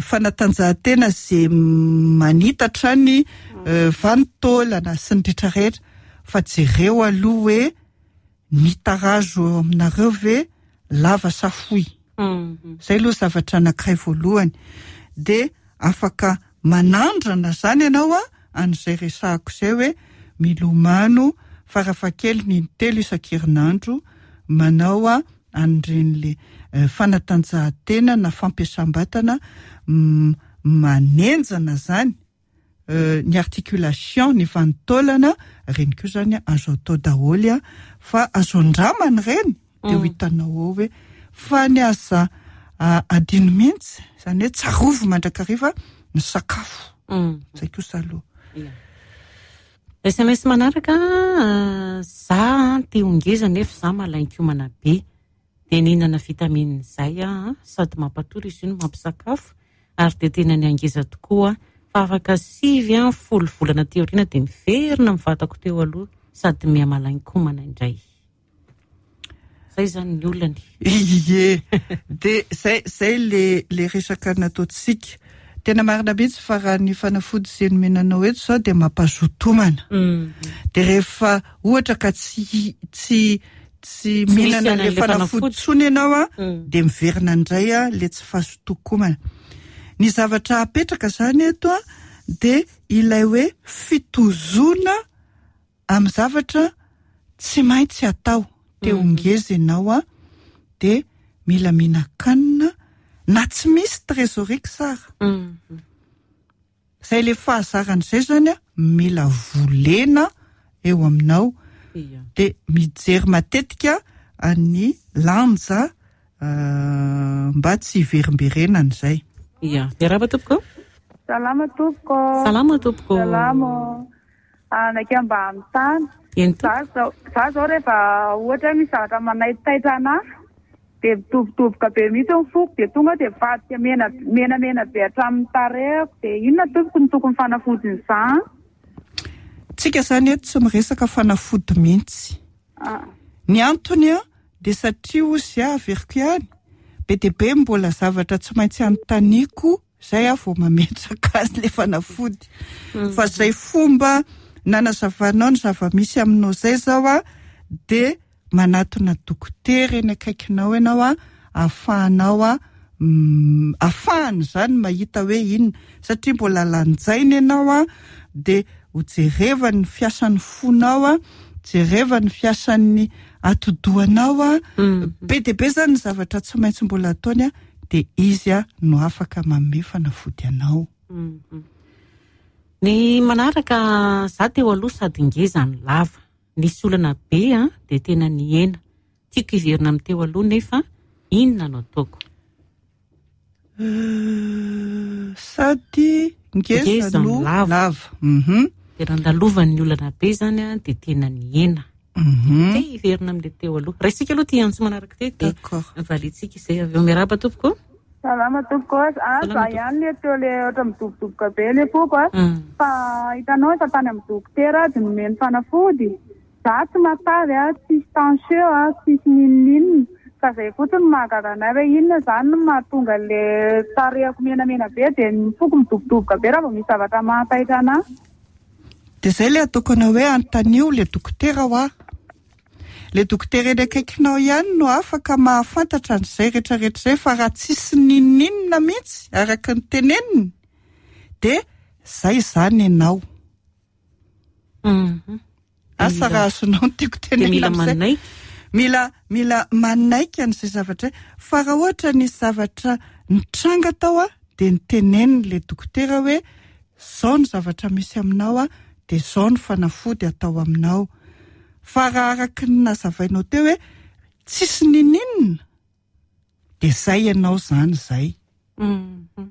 fanatanjahantena zay manitatra ny vanin-taolana sy ny rehetrarehetra, fa jereo aloha hoe ny tarazo eo aminareo ve lava sa fohy. Zay aloha zavatra anankiray voalohany. De afaka manandrana zany ianao a an'izay resahako izay hoe milomano farafahakeliny intelo isan-kerinandro, manao a an'ireny le fanatanjahantena na fampiasam-batana manenjana zany ny articulation, ny vanin-taolana, reny koa zany azo atao daholo a, fa azo andramana ireny de ho hitanao ao hoe fa ny aza adino mihitsy zany hoe tsarovy mandrakariva ny sakafo. Zay kosa aloha. S M S manaraka, za te ho ngeza nefa za malain-komana be, de nihinana vitamine zay a, sady mampatory izy io no mampisakafo, ary de tena niangeza tokoa, fa afaka sivy a folo volana teo aoriana de miverina amin'ny vatako teo aloha sady mihamalain-komana indray. Zay zany ny olany. Ie, de zay, zay le, le resaka nataontsika. Tena marina mihitsy fa raha ny fanafody izay nomenanao eto izao dia mampazotomana. De rehefa ohatra ka tsy, tsy, tsy mihinana le fanafody intsony ianao a, de miverina indray a le tsy fahazotokomana. Ny zavatra apetraka zany eto a, de ilay hoe fitozona amin'ny zavatra tsy maintsy atao. Te ho ngeza ianao a, de mila mihinan-kanina na tsy misy trésorerie tsara. Zay le fahazaran'izay zany a, mila volena eo aminao. De mijery matetika any lanja mba tsy hiverimberenana izay. Ia, miarahaba tompoko. Salama tompoko. Salama tompoko. Salama. Anaka mba amin'ny tany. Eny Za zao, za zao rehefa ohatra misy zavatra manaitaitra anahy, de mitobotoboka be mihitsy ny foko, de tonga de mivadika mena, menamena be hatramin'ny tarehako. De inona tompoko no tokony fanafodin'izany? Tsika zany eto tsy miresaka fanafody mihitsy. Ah. Ny antony a, de satria ozy aho averiko ihany, be dia be mbola zavatra tsy maintsy anontaniako zay aho vao mametraka azy le fanafody. Fa zay fomba nanazavanao ny zava-misy aminao zay zao a, de manatona dokotera eny akaikinao ianao a, ahafahanao a, mm, ahafahany zany mahita hoe inona, satria mbola lanjaina ianao a, de ho jerevany ny fiasan'ny fonao a, jerevany ny fiasan'ny atidohanao a, be dia be zany ny zavatra tsy maintsy mbola ataony a, de izy a no afaka manome fanafody anao. Ny manaraka, za teo aloha sady ngeza ny lava, nisy olana be a, de tena nihena. Tiako hiverina amin'ny teo aloha nefa inona no ataoko? Euh, sady ngeza Ngeza no no lava. lava. Mhm. De nandalovan'ny olana be zany a, de tena nihena. Mhm. Te hiverina amin'ilay teo aloha. Raisika aloha ty antso manaraka ty, de D'accord. valiantsika izay avy eo. Miarahaba tompoko. Salama tompoko. Ah, Salama za tompoko. ihany le teo le ohatra midobodoboka be le foko a. Mm. Fa hitanao efa tany amin'ny dokotera de nomeny fanafody. Za tsy matavy a, tsisy tension a, tsisy n'inon'inona. Fa zay fotsiny mahagaga anay hoe inona zany no mahatonga le tarehako menamena be, de ny foko midobodoboka be raha vao misy zavatra mahataitra anahy. De zay le ataoko anao hoe anontanio le dokotera ho aho. Le dokotera eny akaikinao ihany no afaka mahafantatra an'izay rehetrarehetra izay, fa raha tsisy n'inon'inona mihitsy araka ny teneniny, de zay zany ianao. Mhm. Asa Mila raha azonao ny tiako De tenenina mila amin'izay. manaiky. Mila, mila manaiky an'izay zavatra izay. Fa raha ohatra nisy zavatra nitranga tao a, de niteneniny le dokotera hoe zao ny zavatra misy aminao a, de zao ny fanafody atao aminao. Fa raha araka ny nazavainao teo hoe tsisy n'inon'inona, de zay ianao zany zay. Mhm.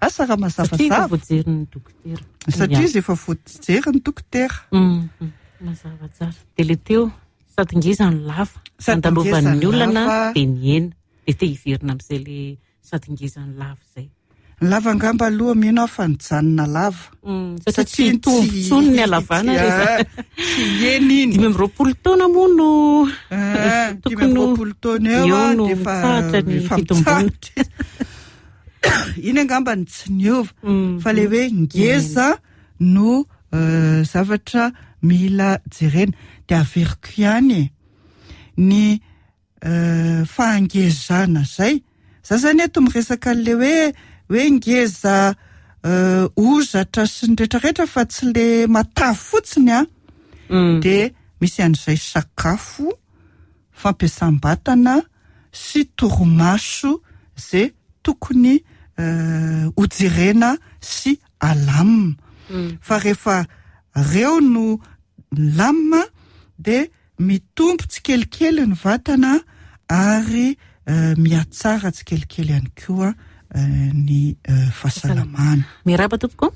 Asa raha mazava Satria efa zava. voajerin'ny dokotera. Satria izy efa voajerin'ny dokotera. Mhm. Mazava tsara. De le teo sady ngeza ny lava. Sady Nandalovan'ny ngeza ny olana lava. de nihena. De te hiverina amin'izay le sady ngeza ny lava izay. Ny lava angamba aloha mino aho fa nijanona lava. Mm, satria tsy hitombo intsony ny halavana rehefa tsy eny iny. Dimy amby roapolo taona moa no Ah, dimy amby roapolo taona eo eo a, no dia efa mitsahatra ny efa fitomboana. mitsahatra. Iny angamba ny tsy niova, Mm. fa le hoe ngeza no euh, zavatra mila jerena. Dia averiko ihany e, ny euh, fahangezana zay. Za zany eto miresaka an'le hoe hoe ngeza euh, ozatra sy ny rehetrarehetra fa tsy le matavy fotsiny a. Mm. Dia misy an'izay sakafo, fampiasam-batana sy torimaso zay tokony euh, hojerena sy alamina. Mm. Fa rehefa reo no lamina dia mitombo tsikelikely ny vatana ary euh, mihatsara tsikelikely ihany koa euh, ny euh, fahasalamana. Miarahaba tompoko.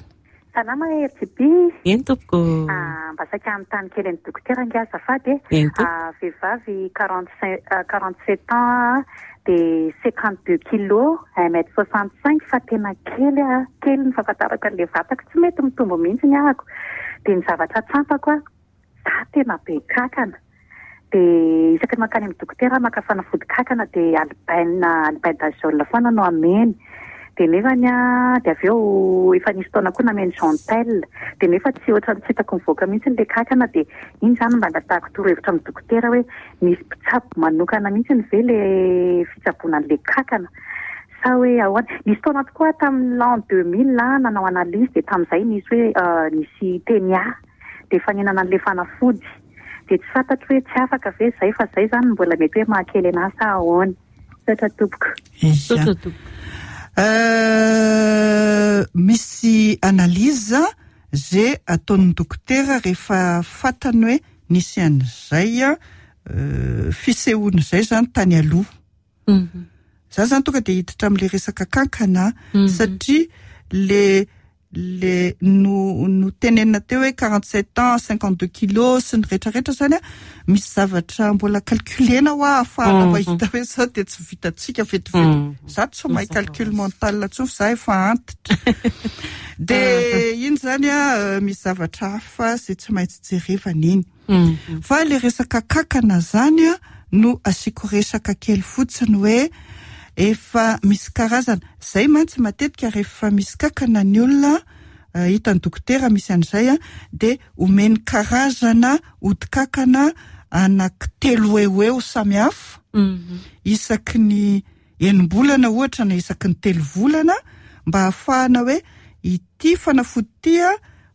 Salama R T B. Eny tompoko. Ah, mba saika hanontany kely an'ny dokotera ange azafady e. Eny tompoko. Ah, vehivavy quarante-cinq, ah, quarante-sept ans, de cinquante-deux kilos, un mètre soixante-cinq, fa tena kely a, kely ny fahafantarako an'ilay vatako, tsy mety mitombo mihitsy ny ahako. De ny zavatra tsampako a, za tena be kakana. De isaky ny mankany amin'ny dokotera maka fanafody kakana de albaine, albendazole foana no ameny. De nefany a, de avy eo efa nisy taona koa nameny Gentel. De nefa tsy ohatran'ny tsy hitako mivoaka mihitsy ilay kakana, de iny zany mba angatahako torohevitra amin'ny dokotera hoe misy mpitsabo manokana mihitsy ve le fitsaboana an'ilay kakana sa hoe ahoana. Nisy taona tokoa tamin'ny l'an deux mille nanao analyse, de tamin'izay nisy hoe, euh, nisy tenia, de efa nihinana an'ilay fanafody. De tsy fantatro hoe tsy afaka ve zay, fa zay zany mbola mety hoe mahakely anahy sa ahoana. Misaotra tompoko. Ia. Misaotra tompoko. Euh, misy analyse zay ataon'ny dokotera rehefa fantany hoe nisy an'izay a, euh, fisehoan'izay zany tany aloha. Mhm. Za zany tonga de hiditra amin'le resaka kankana, Mhm. satria le, le no, no tenenina teo hoe quarante-sept ans, cinquante-deux kilos sy ny rehetrarehetra zany a, misy zavatra mbola calculena ho ahafahana Mhm. mahita hoe sao de tsy vitantsika vetivety. Mhm. Za tsy mahay Mazava calcul ho azy. mental intsony fa za efa antitra. De iny zany a, euh, misy zavatra hafa zay tsy maintsy jerevana iny. Mhm. Fa le resaka kakana zany a, no asiako resaka kely fotsiny hoe efa misy karazana. Zay mantsy matetika rehefa misy kakana ny olona, euh, hitan'ny dokotera misy an'izay a, de omeny karazana odi-kakana anankitelo eo eo samihafa. Mhm. Isaky ny enim-bolana ohatra na isaky ny telo volana, mba ahafahana hoe ity fanafody ity a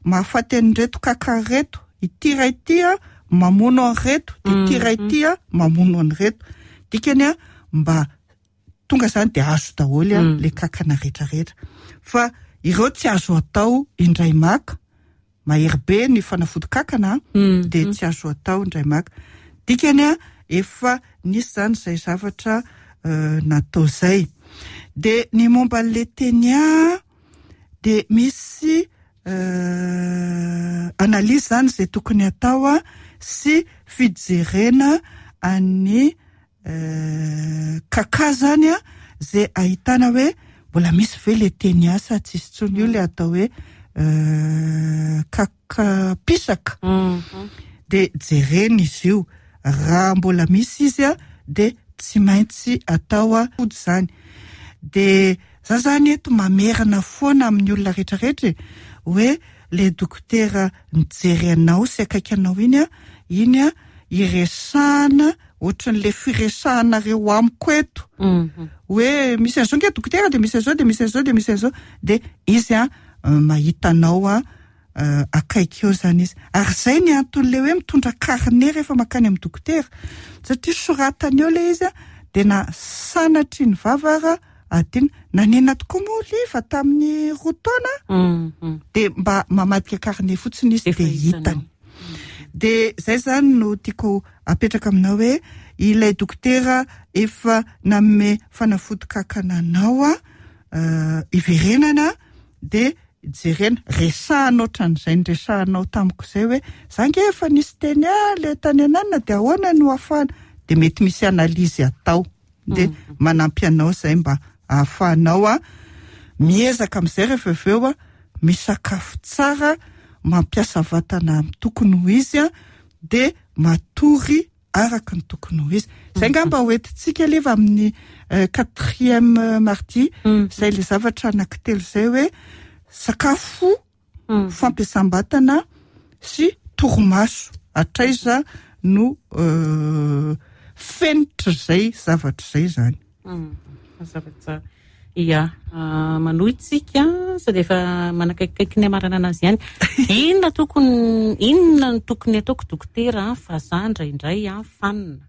mahafaty an'ireto kaka reto, ity ray ity a mamono an'ireto, de ity ray ity a mamono an'ireto. Dikany a mba tonga zany de azo daholo a Mm. le kakana rehetrarehetra. Fa ireo tsy azo atao indray maka, mahery be ny fanafody kakana, Mm. de tsy azo atao indray maka. Dikany a efa nisy zany izay zavatra, euh, natao zay. De ny momba an'le tenia de misy, euh, analyse zany izay tokony atao a, sy fijerena an'ny, euh, kaka zany a, izay ahitana hoe mbola misy ve le tenia sa tsisy intsony. Io le atao hoe, euh, kaka pisaka. Mhm. De jerena izy io, raha mbola misy izy a de tsy maintsy atao a fody zany. De za zany eto mamerina foana amin'ny olona rehetrarehetra e, hoe le dokotera mijery anao sy akaiky anao iny a, iny a iresahana ohatran'le firesahanareo amiko eto. Mhm. Hoe misy an'izao nge dokotera, de misy an'izao, de misy an'izao, de misy an'izao, de izy a, euh, mahita anao a, euh, akaiky eo zany izy. Ary zay ny anton'le hoe mitondra carnet rehefa mankany amin'ny dokotera, satria soratany eo le izy a, de na sanatry ny vava ara adino. Nanena tokoa moa liva tamin'ny roa taona, Mhm. de mba mamadika carnet fotsiny izy Efa de hitanao. hitany. De zay zany no tiako apetraka aminao hoe ilay dokotera efa nanome fanafody kakana anao a, euh, iverenana de jerena, resahana ohatran'izay niresahanao tamiko izay hoe za nge efa nisy teny a le tany ananina, de ahoana no ahafahana, de mety misy analyse atao, de Mm. manampy anao izay mba ahafahanao a Miezaka amin'izay rehefa avy eo a misakafo tsara, mampiasa vatana amin'ny tokony ho izy a de matory araka ny tokony ho izy. Zay angamba ho entintsika leva amin'ny quatrième mardi, zay le zavatra anankitelo zay hoe sakafo, fampiasam-batana sy torimaso. Hatraiza no fenitra zay zavatra zay zany. Mazava tsara. Ia, manohy tsika sady efa manakaikikaiky ny amarana anazy ihany. Inona tokony, inona no tokony ataoko dokotera fa za indraindray a fanina?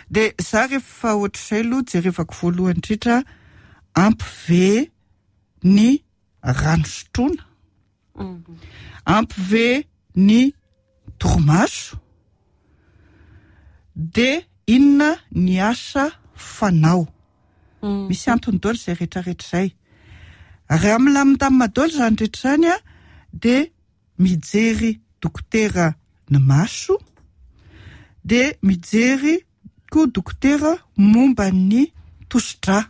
De za rehefa ohatr'izay aloha jerevako voalohany indrindra ampy ve ny rano sotroina, ampy ve ny torimaso, de inona ny asa fanao. Misy antony daholo izay rehetrarehetra izay. Raha milamindamina daholo izany rehetra izany a de mijery dokotera ny maso, de mijery koa dokotera momba ny tosidra.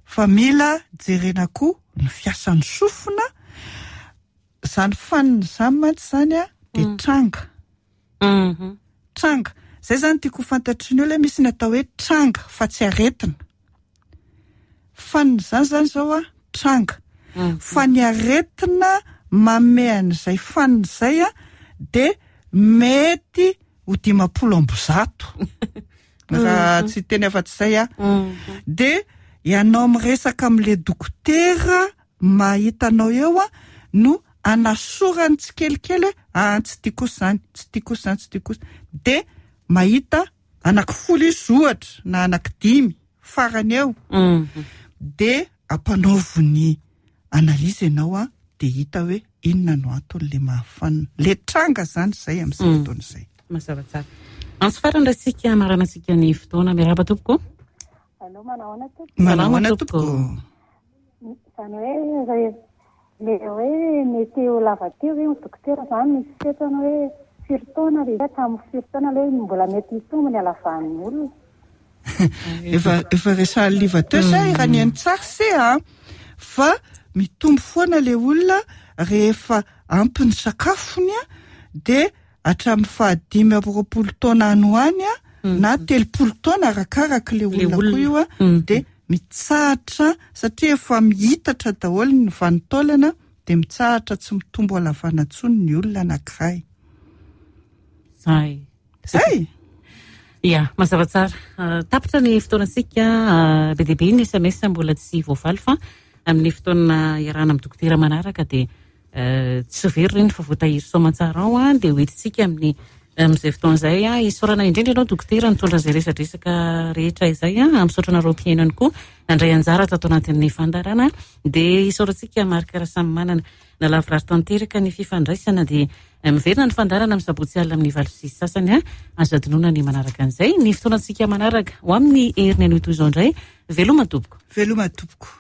Fa mila jerena koa ny fiasan'ny sofina. Zany fanina izany mantsy zany a de tranga. Tranga. Zay zany tiako ho fantatry ny olona hoe misy ny atao hoe tranga fa tsy aretina. Fanina izany zany zao a tranga. Fa ny aretina manome an'izay fanina izay a de mety ho dimampolo amby zato. Raha tsy teny afa-tsy izay a. De ianao miresaka amin'ilay dokotera mahita anao eo a no anasorany tsikelikely hoe ah, tsy tiako kosa izany, tsy tiako kosa izany, tsy tiako kosa. De mahita anankifolo izy ohatra na anankidimy farany eo. De ampanaoviny analyse ianao a de hita hoe inona no anton'ilay mahafanina. Le tranga zany izay amin'izay fotoana izay. Mazava tsara. Antso farany raha tsika hamaranantsika ny fotoana. Miarahaba tompoko. Allô, manao ahoana tompoko? Manao ahoana tompoko? Izany hoe re-, le hoe mety ho lava teo ve ny dokotera zany misy fetrany hoe firy taona le hatramin'ny firy taona le mbola mety hitombo ny halavan'ny olona? Efa, efa resahan'ny liva teo zay, raha ny haino tsara se a, fa mitombo foana le olona rehefa ampy ny sakafony a, de hatramin'ny fahadimy amby roapolo taona any ho any a, na telopolo taona arakaraka le Le olona koa olona. io a, de mitsahatra satria efa mihitatra daholo ny vanin-taolana, de mitsahatra tsy mitombo halavana intsony ny olona anankiray. Zay. Zay. Ia, mazava tsara. Ah, tapitra ny fotoanantsika, ah, be dia be ny S M S mbola tsy voavaly fa amin'ny fotoana iarahana amin'ny dokotera manaraka dia, eh, tsy very ireny fa voatahiry soamantsara ao a, dia hoentintsika amin'ny, amin'izay fotoana izay a. Isaorana indrindra ianao dokotera nitondra izay resadresaka rehetra izay a, misaotra anareo mpihaino ihany koa nandray anjara tato anatin'ny fandaharana. Dia isaorantsika Marc Rasamimanana nalavorary tanteraka ny fifandraisana, dia miverina ny fandaharana amin'ny sabotsy alina amin'ny valo sy sasany a. Azo adinoina ny manaraka an'izay. Ny fotoanantsika manaraka ho amin'ny heriny anio toy izao indray. Veloma tompoko. Veloma tompoko.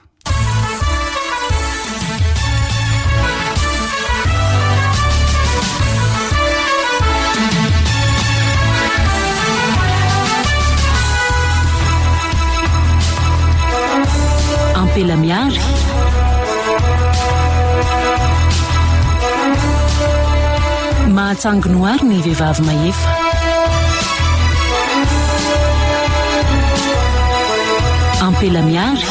Ampela miary. Mahatsanginoary ny vehivavy mahefa. Ampela miary.